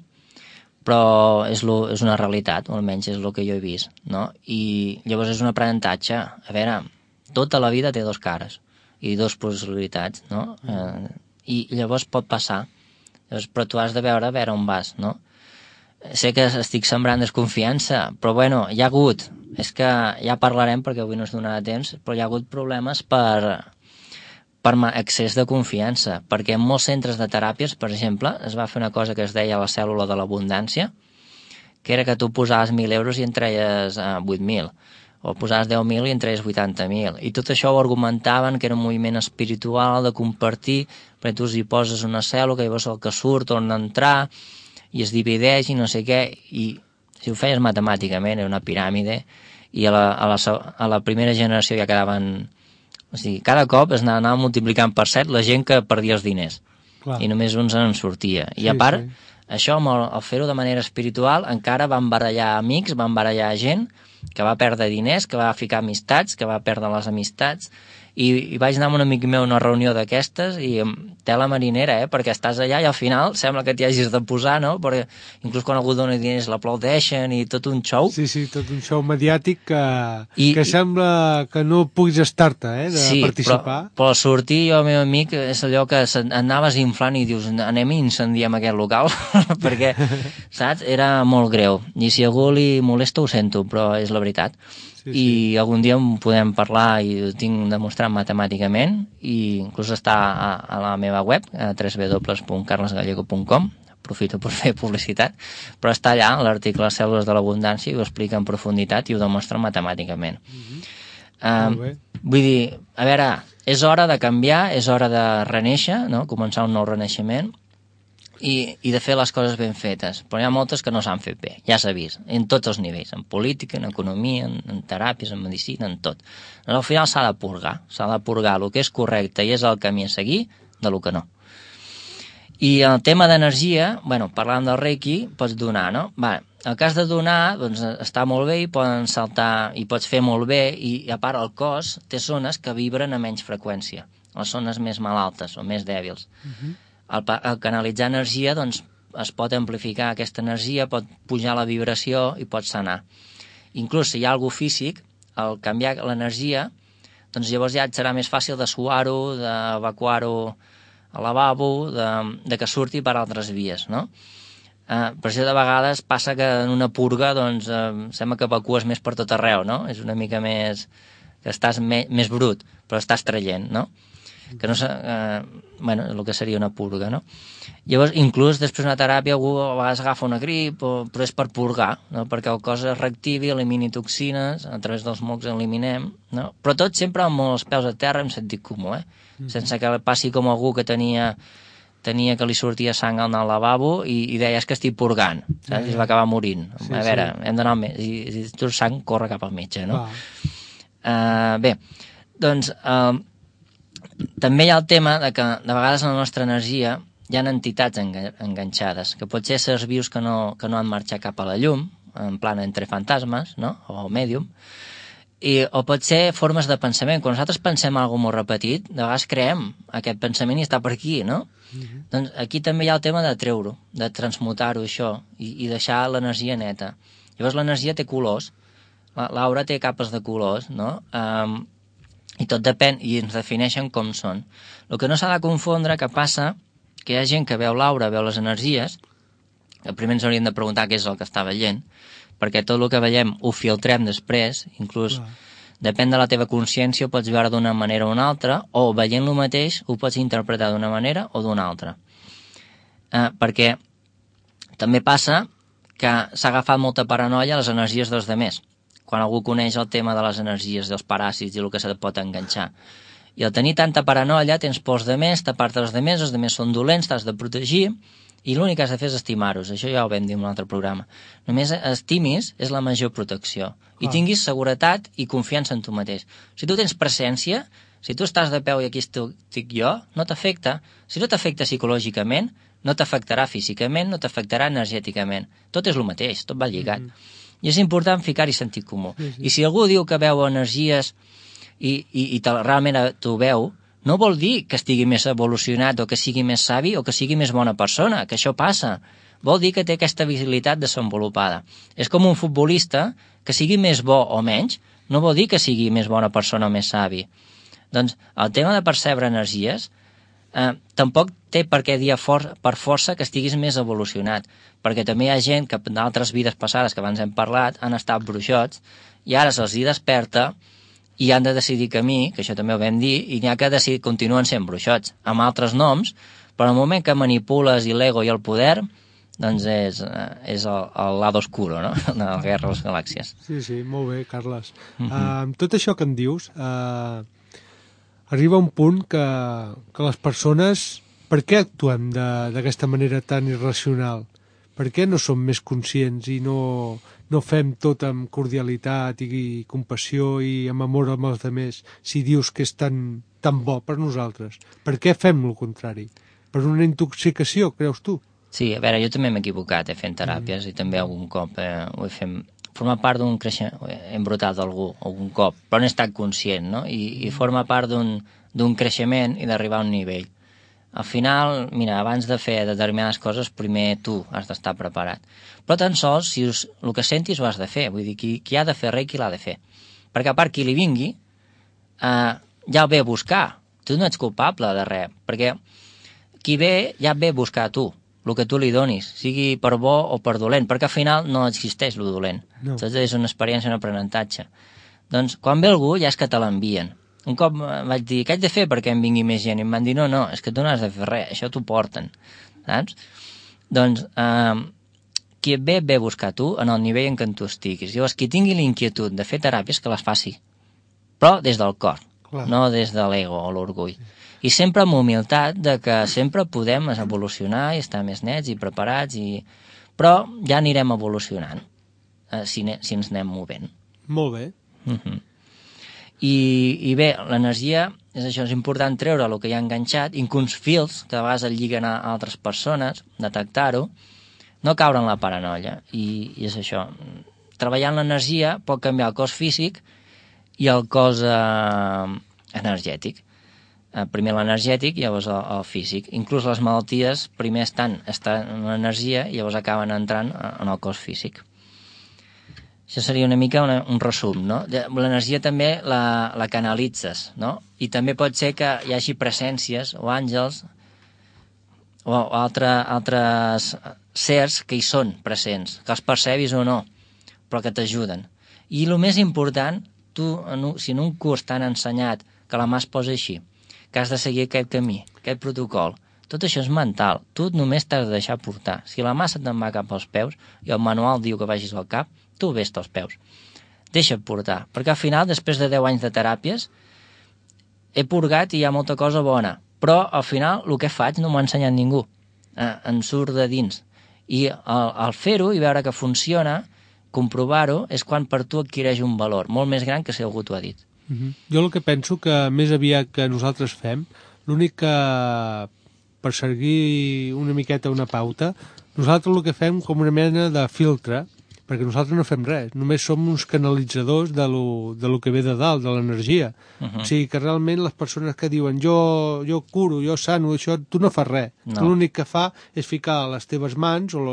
però és una realitat, o almenys és el que jo he vist, no? I llavors és un aprenentatge. A veure, tota la vida té dos cares i dues possibilitats, no? I llavors pot passar. Llavors, però tu has de veure on vas, no? Sé que estic sembrant desconfiança, però hi ha hagut, és que ja parlarem perquè avui no es donarà temps, però hi ha hagut problemes per excés de confiança, perquè en molts centres de teràpies, per exemple, es va fer una cosa que es deia la cèl·lula de l'abundància, que era que tu posaves 1.000 euros i en treies 8.000, o posaves 10.000 i en treies 80.000, i tot això ho argumentaven que era un moviment espiritual de compartir, perquè tu hi poses una cèl·lula, llavors el que surt torna a entrar, i es divideix i no sé què, i si ho feies matemàticament era una piràmide, i a la primera generació ja quedaven... O sigui, cada cop es anava multiplicant per 7 la gent que perdia els diners. Clar. I només uns en sortia. I a part, això, al fer-ho de manera espiritual, encara van barallar amics, van barallar gent que va perdre diners, que va ficar amistats, que va perdre les amistats, i vaig anar amb un amic meu a una reunió d'aquestes i tela marinera, perquè estàs allà i al final sembla que t'hi hagis de posar, no? Perquè inclús quan algú dona diners l'aplaudeixen i tot un show. Sí, tot un show mediàtic que sembla que no puguis estar-te, de participar. Sí, però al sortir jo, el meu amic, és allò que anaves inflant i dius, anem i incendiem aquest local, perquè, saps? Era molt greu. I si a algú li molesta ho sento, però és la veritat. I algun dia en podem parlar i ho tinc demostrat matemàticament i inclús està a la meva web, www.carlesgallego.com, aprofito per fer publicitat, però està allà l'article Les cèl·lules de l'abundància i ho explica en profunditat i ho demostra matemàticament. Vull dir, a veure, és hora de canviar, és hora de renéixer, no? Començar un nou renaixement i de fer les coses ben fetes, però hi ha moltes que no s'han fet bé, ja s'ha vist, en tots els nivells, en política, en economia, en teràpies, en medicina, en tot. Al final s'ha de purgar el que és correcte i és el camí a seguir de lo que no. I el tema d'energia, parlant del Reiki, pots donar, no? El cas de donar, doncs, està molt bé i poden saltar, i pots fer molt bé, i a part el cos té zones que vibren a menys freqüència, les zones més malaltes o més dèbils. Al canalitzar energia, doncs, es pot amplificar aquesta energia, pot pujar la vibració i pot sanar. Inclús si hi ha algú físic, al canviar l'energia, doncs llavors ja et serà més fàcil de suar-ho, d'evacuar-ho al lavabo, de que surti per altres vies, no? Per això de vegades passa que en una purga doncs, sembla que evacues més per tot arreu, no? És una mica més... que estàs més brut, però estàs traient, no? Que no sé, el que seria una purga, no? Llavors, inclús després d'una teràpia algú a vegades agafa una grip, però és per purgar, no? Perquè el cos es reactivi, elimini toxines, a través dels mocs eliminem, no? Però tot sempre amb els peus a terra, amb sentit comú, sense que passi com algú que tenia que li sortia sang al lavabo i deia, és que estic purgant, saps? I es va acabar morint. A veure, hem d'anar al metge, si tu sang, corre cap al metge, no? Bé, doncs... també hi ha el tema de que de vegades en la nostra energia hi ha entitats enganxades, que pot ser éssers vius que no han marxat cap a la llum, en plan entre fantasmes, no? O mèdium, o pot ser formes de pensament. Quan nosaltres pensem alguna molt repetit, de vegades creem aquest pensament i està per aquí, no? Doncs aquí també hi ha el tema de treure-ho, de transmutar-ho, això, i deixar l'energia neta. Llavors l'energia té colors, l'aura té capes de colors, no? I tot depèn, i ens defineixen com són. El que no s'ha de confondre, que passa, que hi ha gent que veu l'aura, veu les energies, que primer ens hauríem de preguntar què és el que està veient, perquè tot el que veiem ho filtrem després, inclús depèn de la teva consciència, ho pots veure d'una manera o una altra, o veient lo mateix ho pots interpretar d'una manera o d'una altra. Perquè també passa que s'ha agafat molta paranoia a les energies dels demés, quan algú coneix el tema de les energies dels paràsits i el que se pot enganxar. I al tenir tanta paranoia tens pors de més, t'apartes els demés són dolents, t'has de protegir, i l'únic que has de fer és estimar-los. Això ja ho vam dir en un altre programa. Només estimis és la major protecció. I tinguis seguretat i confiança en tu mateix. Si tu tens presència, si tu estàs de peu i aquí estic jo, no t'afecta. Si no t'afecta psicològicament, no t'afectarà físicament, no t'afectarà energèticament. Tot és el mateix, tot va lligat. I és important ficar-hi sentit comú. I si algú diu que veu energies i realment t'ho veu, no vol dir que estigui més evolucionat o que sigui més savi o que sigui més bona persona, que això passa. Vol dir que té aquesta visibilitat desenvolupada. És com un futbolista que sigui més bo o menys, no vol dir que sigui més bona persona o més savi. Doncs el tema de percebre energies tampoc té per què dir per força que estiguis més evolucionat, perquè també hi ha gent que d'altres vides passades que abans hem parlat han estat bruixots i ara se'ls hi desperta i han de decidir camí, que això també ho vam dir, i n'hi ha que continuen sent bruixots, amb altres noms, però al moment que manipules i l'ego i el poder, doncs és el lado oscuro, no?, de la Guerra de les Galàxies. Sí, molt bé, Carles. Tot això que em dius, arriba un punt que les persones... Per què actuem d'aquesta manera tan irracional? Per què no som més conscients i no fem tot amb cordialitat i compassió i amb amor amb els altres si dius que és tan bo per nosaltres? Per què fem el contrari? Per una intoxicació, creus tu? Sí, a veure, jo també m'he equivocat fent teràpies i també algun cop ho he fet... Forma part d'un creixement... He embrutat algú algun cop, però no he estat conscient, no? I forma part d'un creixement i d'arribar a un nivell. Al final, mira, abans de fer determinades coses, primer tu has d'estar preparat. Però tan sols, si el que sentis ho has de fer. Vull dir, qui ha de fer res, qui l'ha de fer. Perquè a part, qui li vingui, ja el ve a buscar. Tu no ets culpable de res, perquè qui ve, ja ve a buscar a tu, el que tu li donis, sigui per bo o per dolent, perquè al final no existeix el dolent. No. Tot és una experiència, un aprenentatge. Doncs, quan ve algú, ja és que te l'envien. Un cop vaig dir, què haig de fer perquè em vingui més gent? I em van dir, no, és que tu no has de fer res, això t'ho porten, saps? Doncs, qui et ve a buscar tu en el nivell en què tu estiguis. Llavors, qui tingui l'inquietud de fer teràpies, que les faci, però des del cor, no des de l'ego o l'orgull. I sempre amb humilitat de que sempre podem evolucionar i estar més nets i preparats, però ja anirem evolucionant si ens anem movent. Molt bé. I bé, l'energia és això, és important treure el que hi ha enganxat, inclús fils que a vegades el lliguen a altres persones, detectar-ho, no caure en la paranoia, i és això. Treballant l'energia pot canviar el cos físic i el cos energètic. Primer l'energètic i llavors el físic. Inclús les malalties primer estan en l'energia i llavors acaben entrant en el cos físic. Això seria una mica un resum, no? L'energia també la canalitzes, no? I també pot ser que hi hagi presències o àngels o altres sers que hi són presents, que els percebis o no, però que t'ajuden. I el més important, si en un curs t'han ensenyat que la mà es posa així, que has de seguir aquest camí, aquest protocol, tot això és mental. Tu només t'has de deixar portar. Si la mà se't te'n va cap als peus i el manual diu que vagis al cap, tu ves als peus. Deixa't portar, perquè al final, després de 10 anys de teràpies, he purgat i hi ha molta cosa bona, però al final el que faig no m'ho ha ensenyat ningú. Em surt de dins. I al fer-ho i veure que funciona, comprovar-ho, és quan per tu adquireix un valor molt més gran que si algú t'ho ha dit. Jo el que penso que més aviat que nosaltres fem, l'únic que, per seguir una miqueta una pauta, nosaltres el que fem com una mena de filtre perquè nosaltres no fem res, només som uns canalitzadors de lo que ve de dalt, de l'energia. O sigui que realment les persones que diuen jo curo, jo sano, això, tu no fas res. No. Tu l'únic que fa és ficar les teves mans o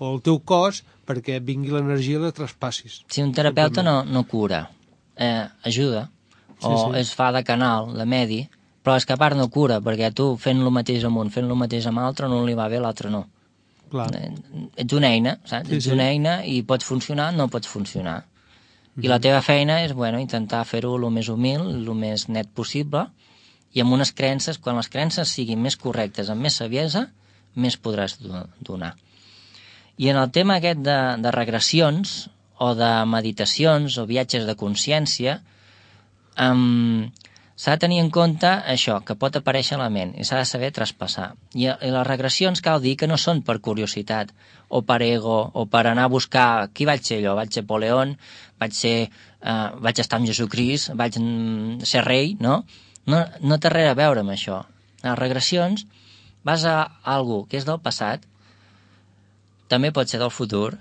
el teu cos perquè vingui l'energia i la traspassis. Si un terapeuta no cura, ajuda, o es fa de canal, de medi, però és que a part no cura, perquè tu fent el mateix amb un, fent el mateix amb l'altre, no li va bé, l'altre no. Clar. Ets una eina, saps? Ets una eina i pots funcionar, no pots funcionar. I la teva feina és, intentar fer-ho el més humil, el més net possible, i amb unes creences, quan les creences siguin més correctes, amb més saviesa, més podràs donar. I en el tema aquest de regressions, o de meditacions, o viatges de consciència, s'ha de tenir en compte això, que pot aparèixer a la ment, i s'ha de saber traspassar. I les regressions cal dir que no són per curiositat, o per ego, o per anar a buscar qui vaig ser jo, vaig ser Napoleón, vaig estar amb Jesucrist, vaig ser rei, no? No té res a veure amb això. Les regressions vas a algú que és del passat, també pot ser del futur,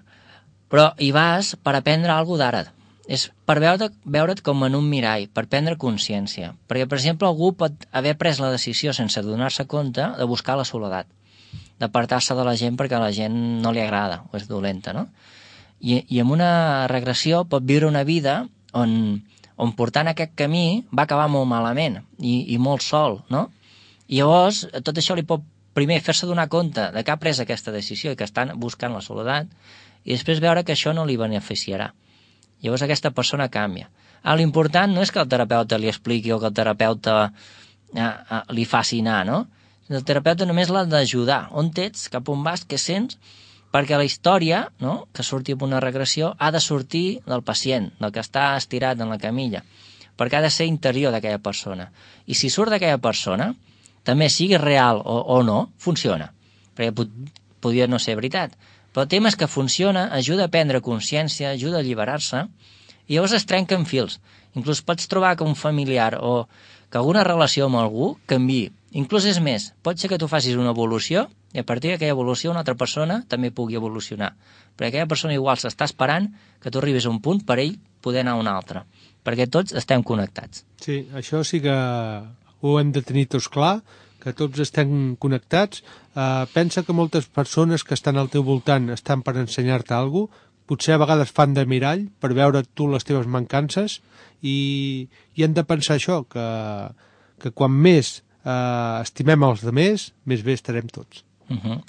però hi vas per aprendre alguna d'ara. És per veure't com en un mirall, per prendre consciència. Perquè, per exemple, algú pot haver pres la decisió sense donar-se compte de buscar la soledat, d'apartar-se de la gent perquè a la gent no li agrada o és dolenta, no? I amb una regressió pot viure una vida on portant aquest camí va acabar molt malament i molt sol, no? I llavors tot això li pot primer fer-se donar compte de que ha pres aquesta decisió i que estan buscant la soledat i després veure que això no li beneficiarà. Llavors aquesta persona canvia. L'important no és que el terapeuta li expliqui o que el terapeuta li faci anar, no? El terapeuta només l'ha d'ajudar. On ets, cap on vas, què sents? Perquè la història, no?, que surti amb una regressió, ha de sortir del pacient, del que està estirat en la camilla, perquè ha de ser interior d'aquella persona. I si surt d'aquella persona, també sigui real o no, funciona. Perquè podria no ser veritat. Però el tema és que funciona, ajuda a prendre consciència, ajuda a alliberar-se, i llavors es trenquen fils. Inclús pots trobar que un familiar o que alguna relació amb algú canviï. Inclús és més, pot ser que tu facis una evolució i a partir d'aquella evolució una altra persona també pugui evolucionar. Perquè aquella persona igual s'està esperant que tu arribis a un punt per ell poder anar a un altre. Perquè tots estem connectats. Sí, això sí que ho hem de tenir tots clar, que tots estem connectats. Pensa que moltes persones que estan al teu voltant estan per ensenyar-te alguna cosa, potser a vegades fan de mirall per veure tu les teves mancances i hem de pensar això, que quan més estimem els altres, més bé estarem tots.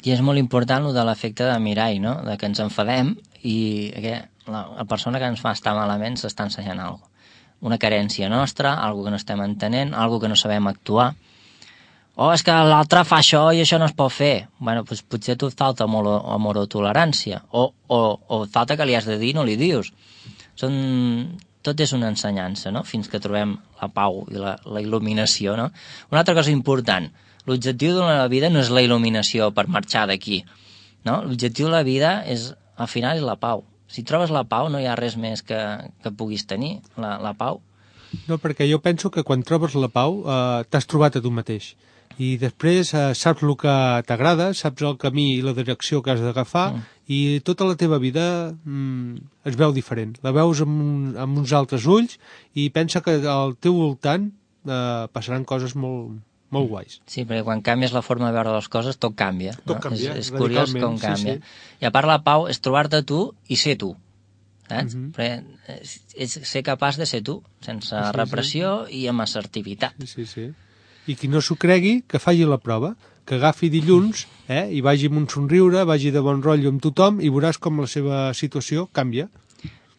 I és molt important el de l'efecte de mirall, no? De que ens enfadem i la persona que ens fa estar malament s'està ensenyant alguna cosa. Una carència nostra, alguna que no estem entenent, alguna que no sabem actuar. És que l'altre fa això i això no es pot fer. Bueno, doncs potser tu et falta amor o tolerància, o falta que li has de dir i no li dius. Tot és una ensenyança, no?, fins que trobem la pau i la il·luminació, no? Una altra cosa important, l'objectiu de la vida no és la il·luminació per marxar d'aquí, no? L'objectiu de la vida al final és la pau. Si trobes la pau no hi ha res més que puguis tenir, la pau. No, perquè jo penso que quan trobes la pau t'has trobat a tu mateix. I després saps el que t'agrada, saps el camí i la direcció que has d'agafar i tota la teva vida es veu diferent. La veus amb uns altres ulls i pensa que al teu voltant passaran coses molt guais. Sí, perquè quan canvies la forma de veure les coses tot canvia. Tot canvia, és curiós com canvia. Sí. I a part la pau és trobar-te tu i ser tu. Saps? Perquè és ser capaç de ser tu, sense repressió i amb assertivitat. Sí. I qui no s'ho cregui, que faci la prova, que agafi dilluns i vagi amb un somriure, vagi de bon rotllo amb tothom i veuràs com la seva situació canvia.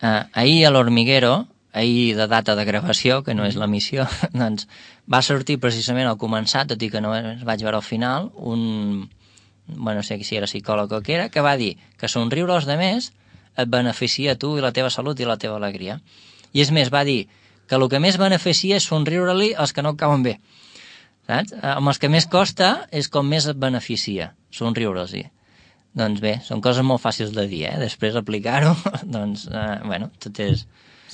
Ahir a l'Hormiguero, ahir de data de gravació, que no és l'emissió, doncs va sortir precisament al començar, tot i que no es vaig veure al final, no sé si era psicòleg o què era, que va dir que somriure als demés et beneficia a tu i la teva salut i la teva alegria. I és més, va dir que el que més beneficia és somriure-li als que no et cauen bé. Saps? Amb els que més costa és com més et beneficia, somriure-los-hi. Doncs bé, són coses molt fàcils de dir, després aplicar-ho, doncs, tot és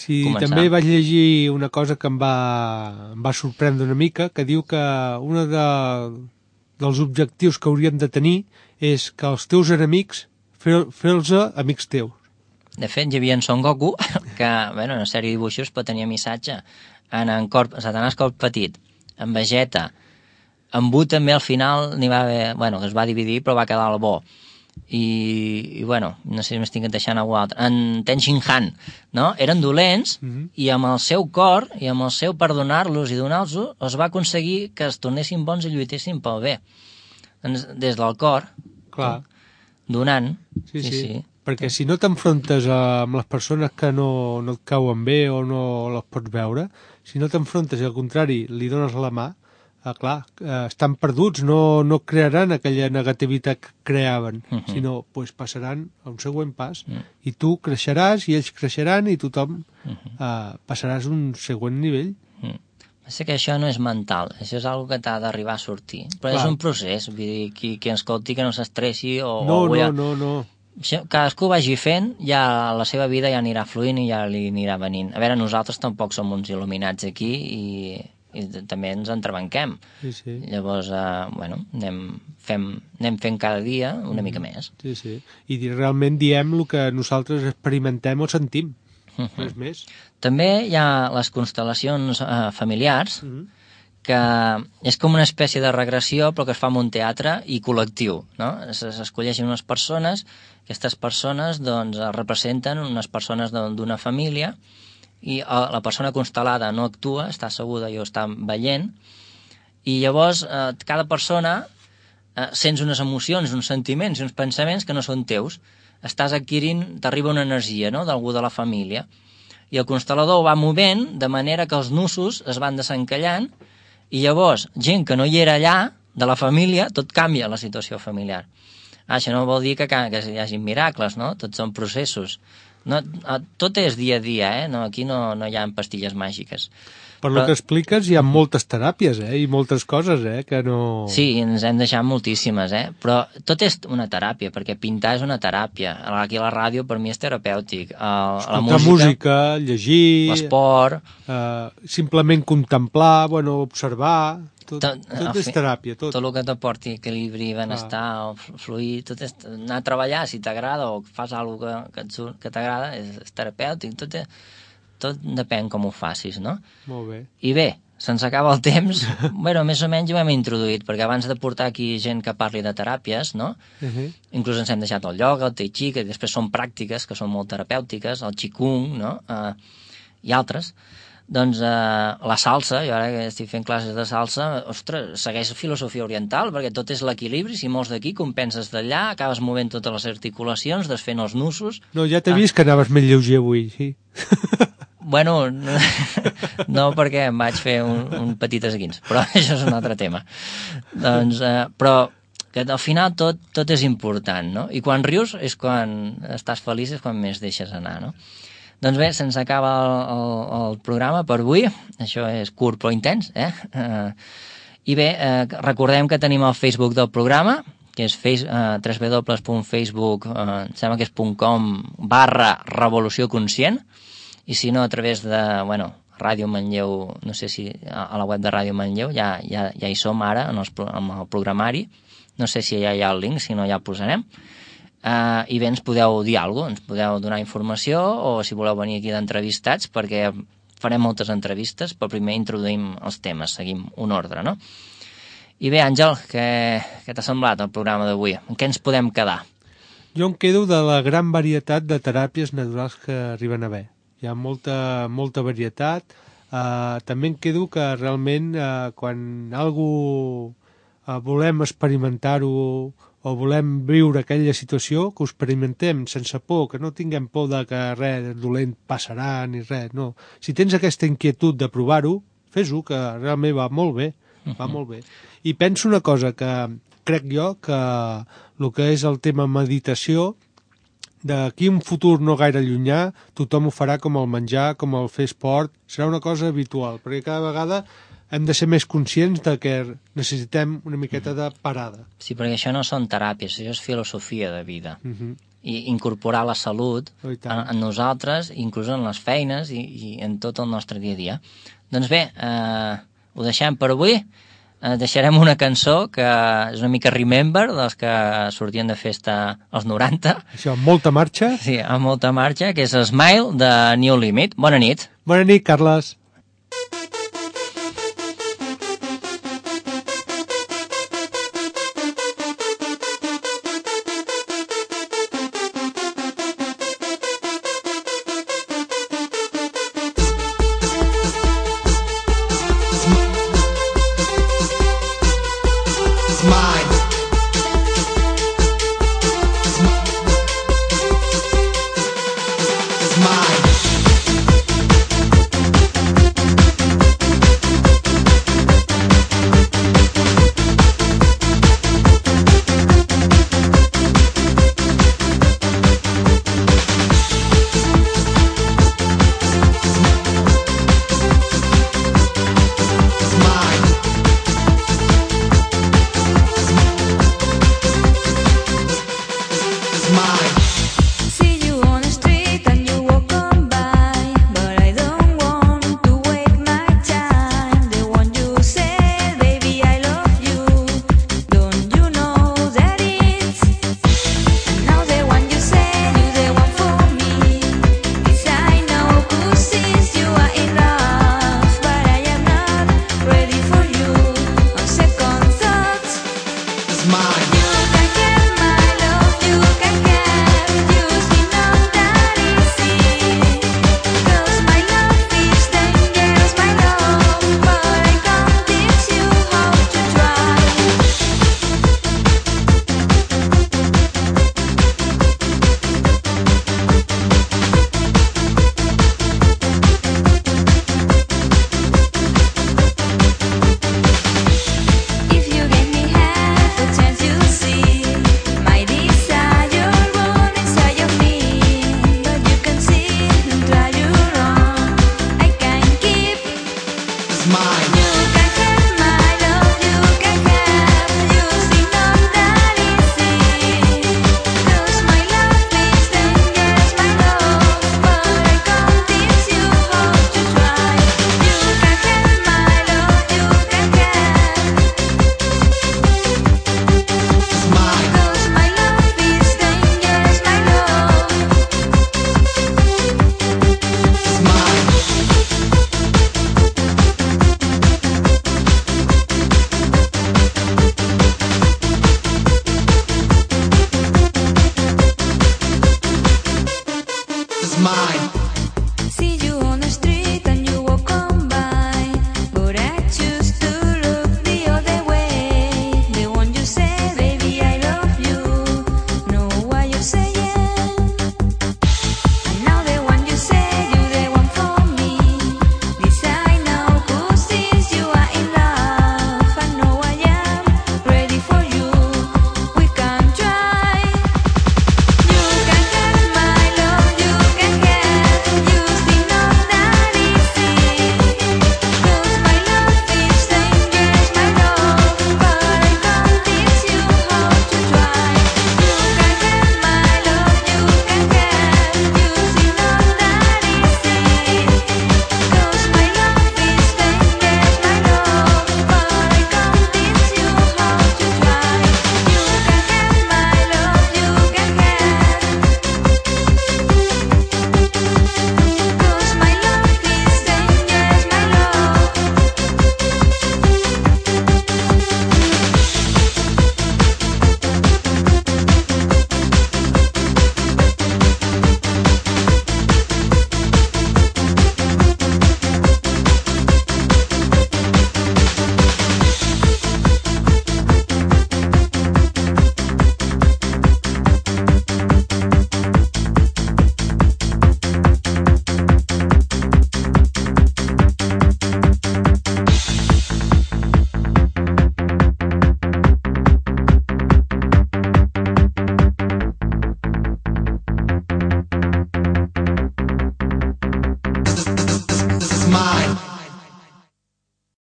començar. També vaig llegir una cosa que em va sorprendre una mica, que diu que un dels objectius que hauríem de tenir és que els teus enemics fer-los amics teus. De fet, hi havia en Son Goku, que, bueno, una sèrie de dibuixos pot tenir missatge. En Satanàs Corp Petit, en Vegeta, en Buu també al final n'hi va haver, bueno, que es va dividir però va quedar el bo. I bueno, no sé si m'estic deixant algú altre. En Ten Shin Han, no? Eren dolents i amb el seu cor i amb el seu perdonar-los i donar-los es va aconseguir que es tornessin bons i lluitessin pel bé. Doncs, des del cor, Clar. Donant. Sí. Perquè si no t'enfrontes amb les persones que no et cauen bé o no les pots veure, si no t'enfrontes i al contrari li dones la mà, clar, estan perduts, no crearan aquella negativitat que creaven, sinó pues, passaran a un següent pas i tu creixeràs i ells creixeran i tothom passaràs a un següent nivell. Sé que això no és mental, això és una que t'ha d'arribar a sortir, però clar. És un procés, vull dir, qui escolti que no s'estressi o... No. Cadascú vagi fent, ja la seva vida ja anirà fluint i ja li anirà venint. A veure, nosaltres tampoc som uns il·luminats aquí i també ens entrebanquem. Sí. Llavors, bueno, anem fent cada dia una mica més. Sí. I realment diem el que nosaltres experimentem o sentim. Res més. També hi ha les constel·lacions familiars, que és com una espècie de regressió però que es fa en un teatre i col·lectiu, no? S'escolleixen unes persones, aquestes persones doncs representen unes persones d'una família i la persona constel·lada no actua, està asseguda i ho està veient, i llavors cada persona sents unes emocions, uns sentiments i uns pensaments que no són teus, estàs adquirint, t'arriba una energia, no?, d'algú de la família, i el constel·lador ho va movent de manera que els nusos es van desencallant i llavors, gent que no hi era allà, de la família, tot canvia la situació familiar. Això no vol dir que hi hagi miracles, no? Tots són processos. No, tot és dia a dia, No, aquí no hi ha pastilles màgiques. Per lo que expliques, hi ha moltes teràpies, i moltes coses, que no... Sí, ens hem deixat moltíssimes, però tot és una teràpia, perquè pintar és una teràpia. Aquí a la ràdio, per mi, és terapèutic. Escoltar música, llegir... L'esport... simplement contemplar, observar... Tot és teràpia, tot. Tot el que t'aporti equilibri, benestar, o fluir, tot és anar a treballar, si t'agrada, o fas alguna cosa que t'agrada, és terapèutic, tot depèn com ho facis, no? Molt bé. I bé, se'ns acaba el temps, més o menys ho hem introduït, perquè abans de portar aquí gent que parli de teràpies, no? Inclús ens hem deixat el ioga, el tai chi, que després són pràctiques, que són molt terapèutiques, el qigong, no? I altres. Doncs la salsa, jo ara que estic fent classes de salsa, ostres, segueix filosofia oriental, perquè tot és l'equilibri, si mous d'aquí, compenses d'allà, acabes movent totes les articulacions, desfent els nusos... No, ja t'he vist que anaves més lleuger avui, sí. Bueno, no perquè em vaig fer un petit esguins, però això és un altre tema. Doncs, però que al final tot és important, no? I quan rius és quan estàs feliç, és quan més deixes anar, no? Doncs bé, se'ns acaba el programa per avui. Això és curt però intens, I bé, recordem que tenim el Facebook del programa, que és www.facebook, sembla que és .com/Revolució Conscient, i si no, a través de, Ràdio Manlleu, no sé si a la web de Ràdio Manlleu, ja hi som ara, en el programari, no sé si ja hi ha el link, si no ja el posarem. I bé, ens podeu dir alguna cosa, ens podeu donar informació o si voleu venir aquí d'entrevistats, perquè farem moltes entrevistes, però primer introduïm els temes, seguim un ordre, no? I bé, Àngel, què t'ha semblat el programa d'avui? En què ens podem quedar? Jo em quedo de la gran varietat de teràpies naturals que arriben a haver. Hi ha molta varietat. També em quedo que realment quan algú volem experimentar-ho o volem viure aquella situació, que ho experimentem sense por, que no tinguem por de que res dolent passarà ni res, no. Si tens aquesta inquietud de provar-ho, fes-ho, que realment va molt bé, va molt bé. I penso una cosa, que crec jo que el que és el tema meditació, d'aquí un futur no gaire llunyà, tothom ho farà com el menjar, com el fer esport, serà una cosa habitual, perquè cada vegada hem de ser més conscients de que necessitem una miqueta de parada. Sí, perquè això no són teràpies, això és filosofia de vida. I incorporar la salut en nosaltres, inclús en les feines i en tot el nostre dia a dia. Doncs bé, ho deixem per avui. deixarem una cançó que és una mica Remember, dels que sortien de festa als 90. Això, amb molta marxa. Sí, amb molta marxa, que és Smile de New Limit. Bona nit. Bona nit, Carles. Mine.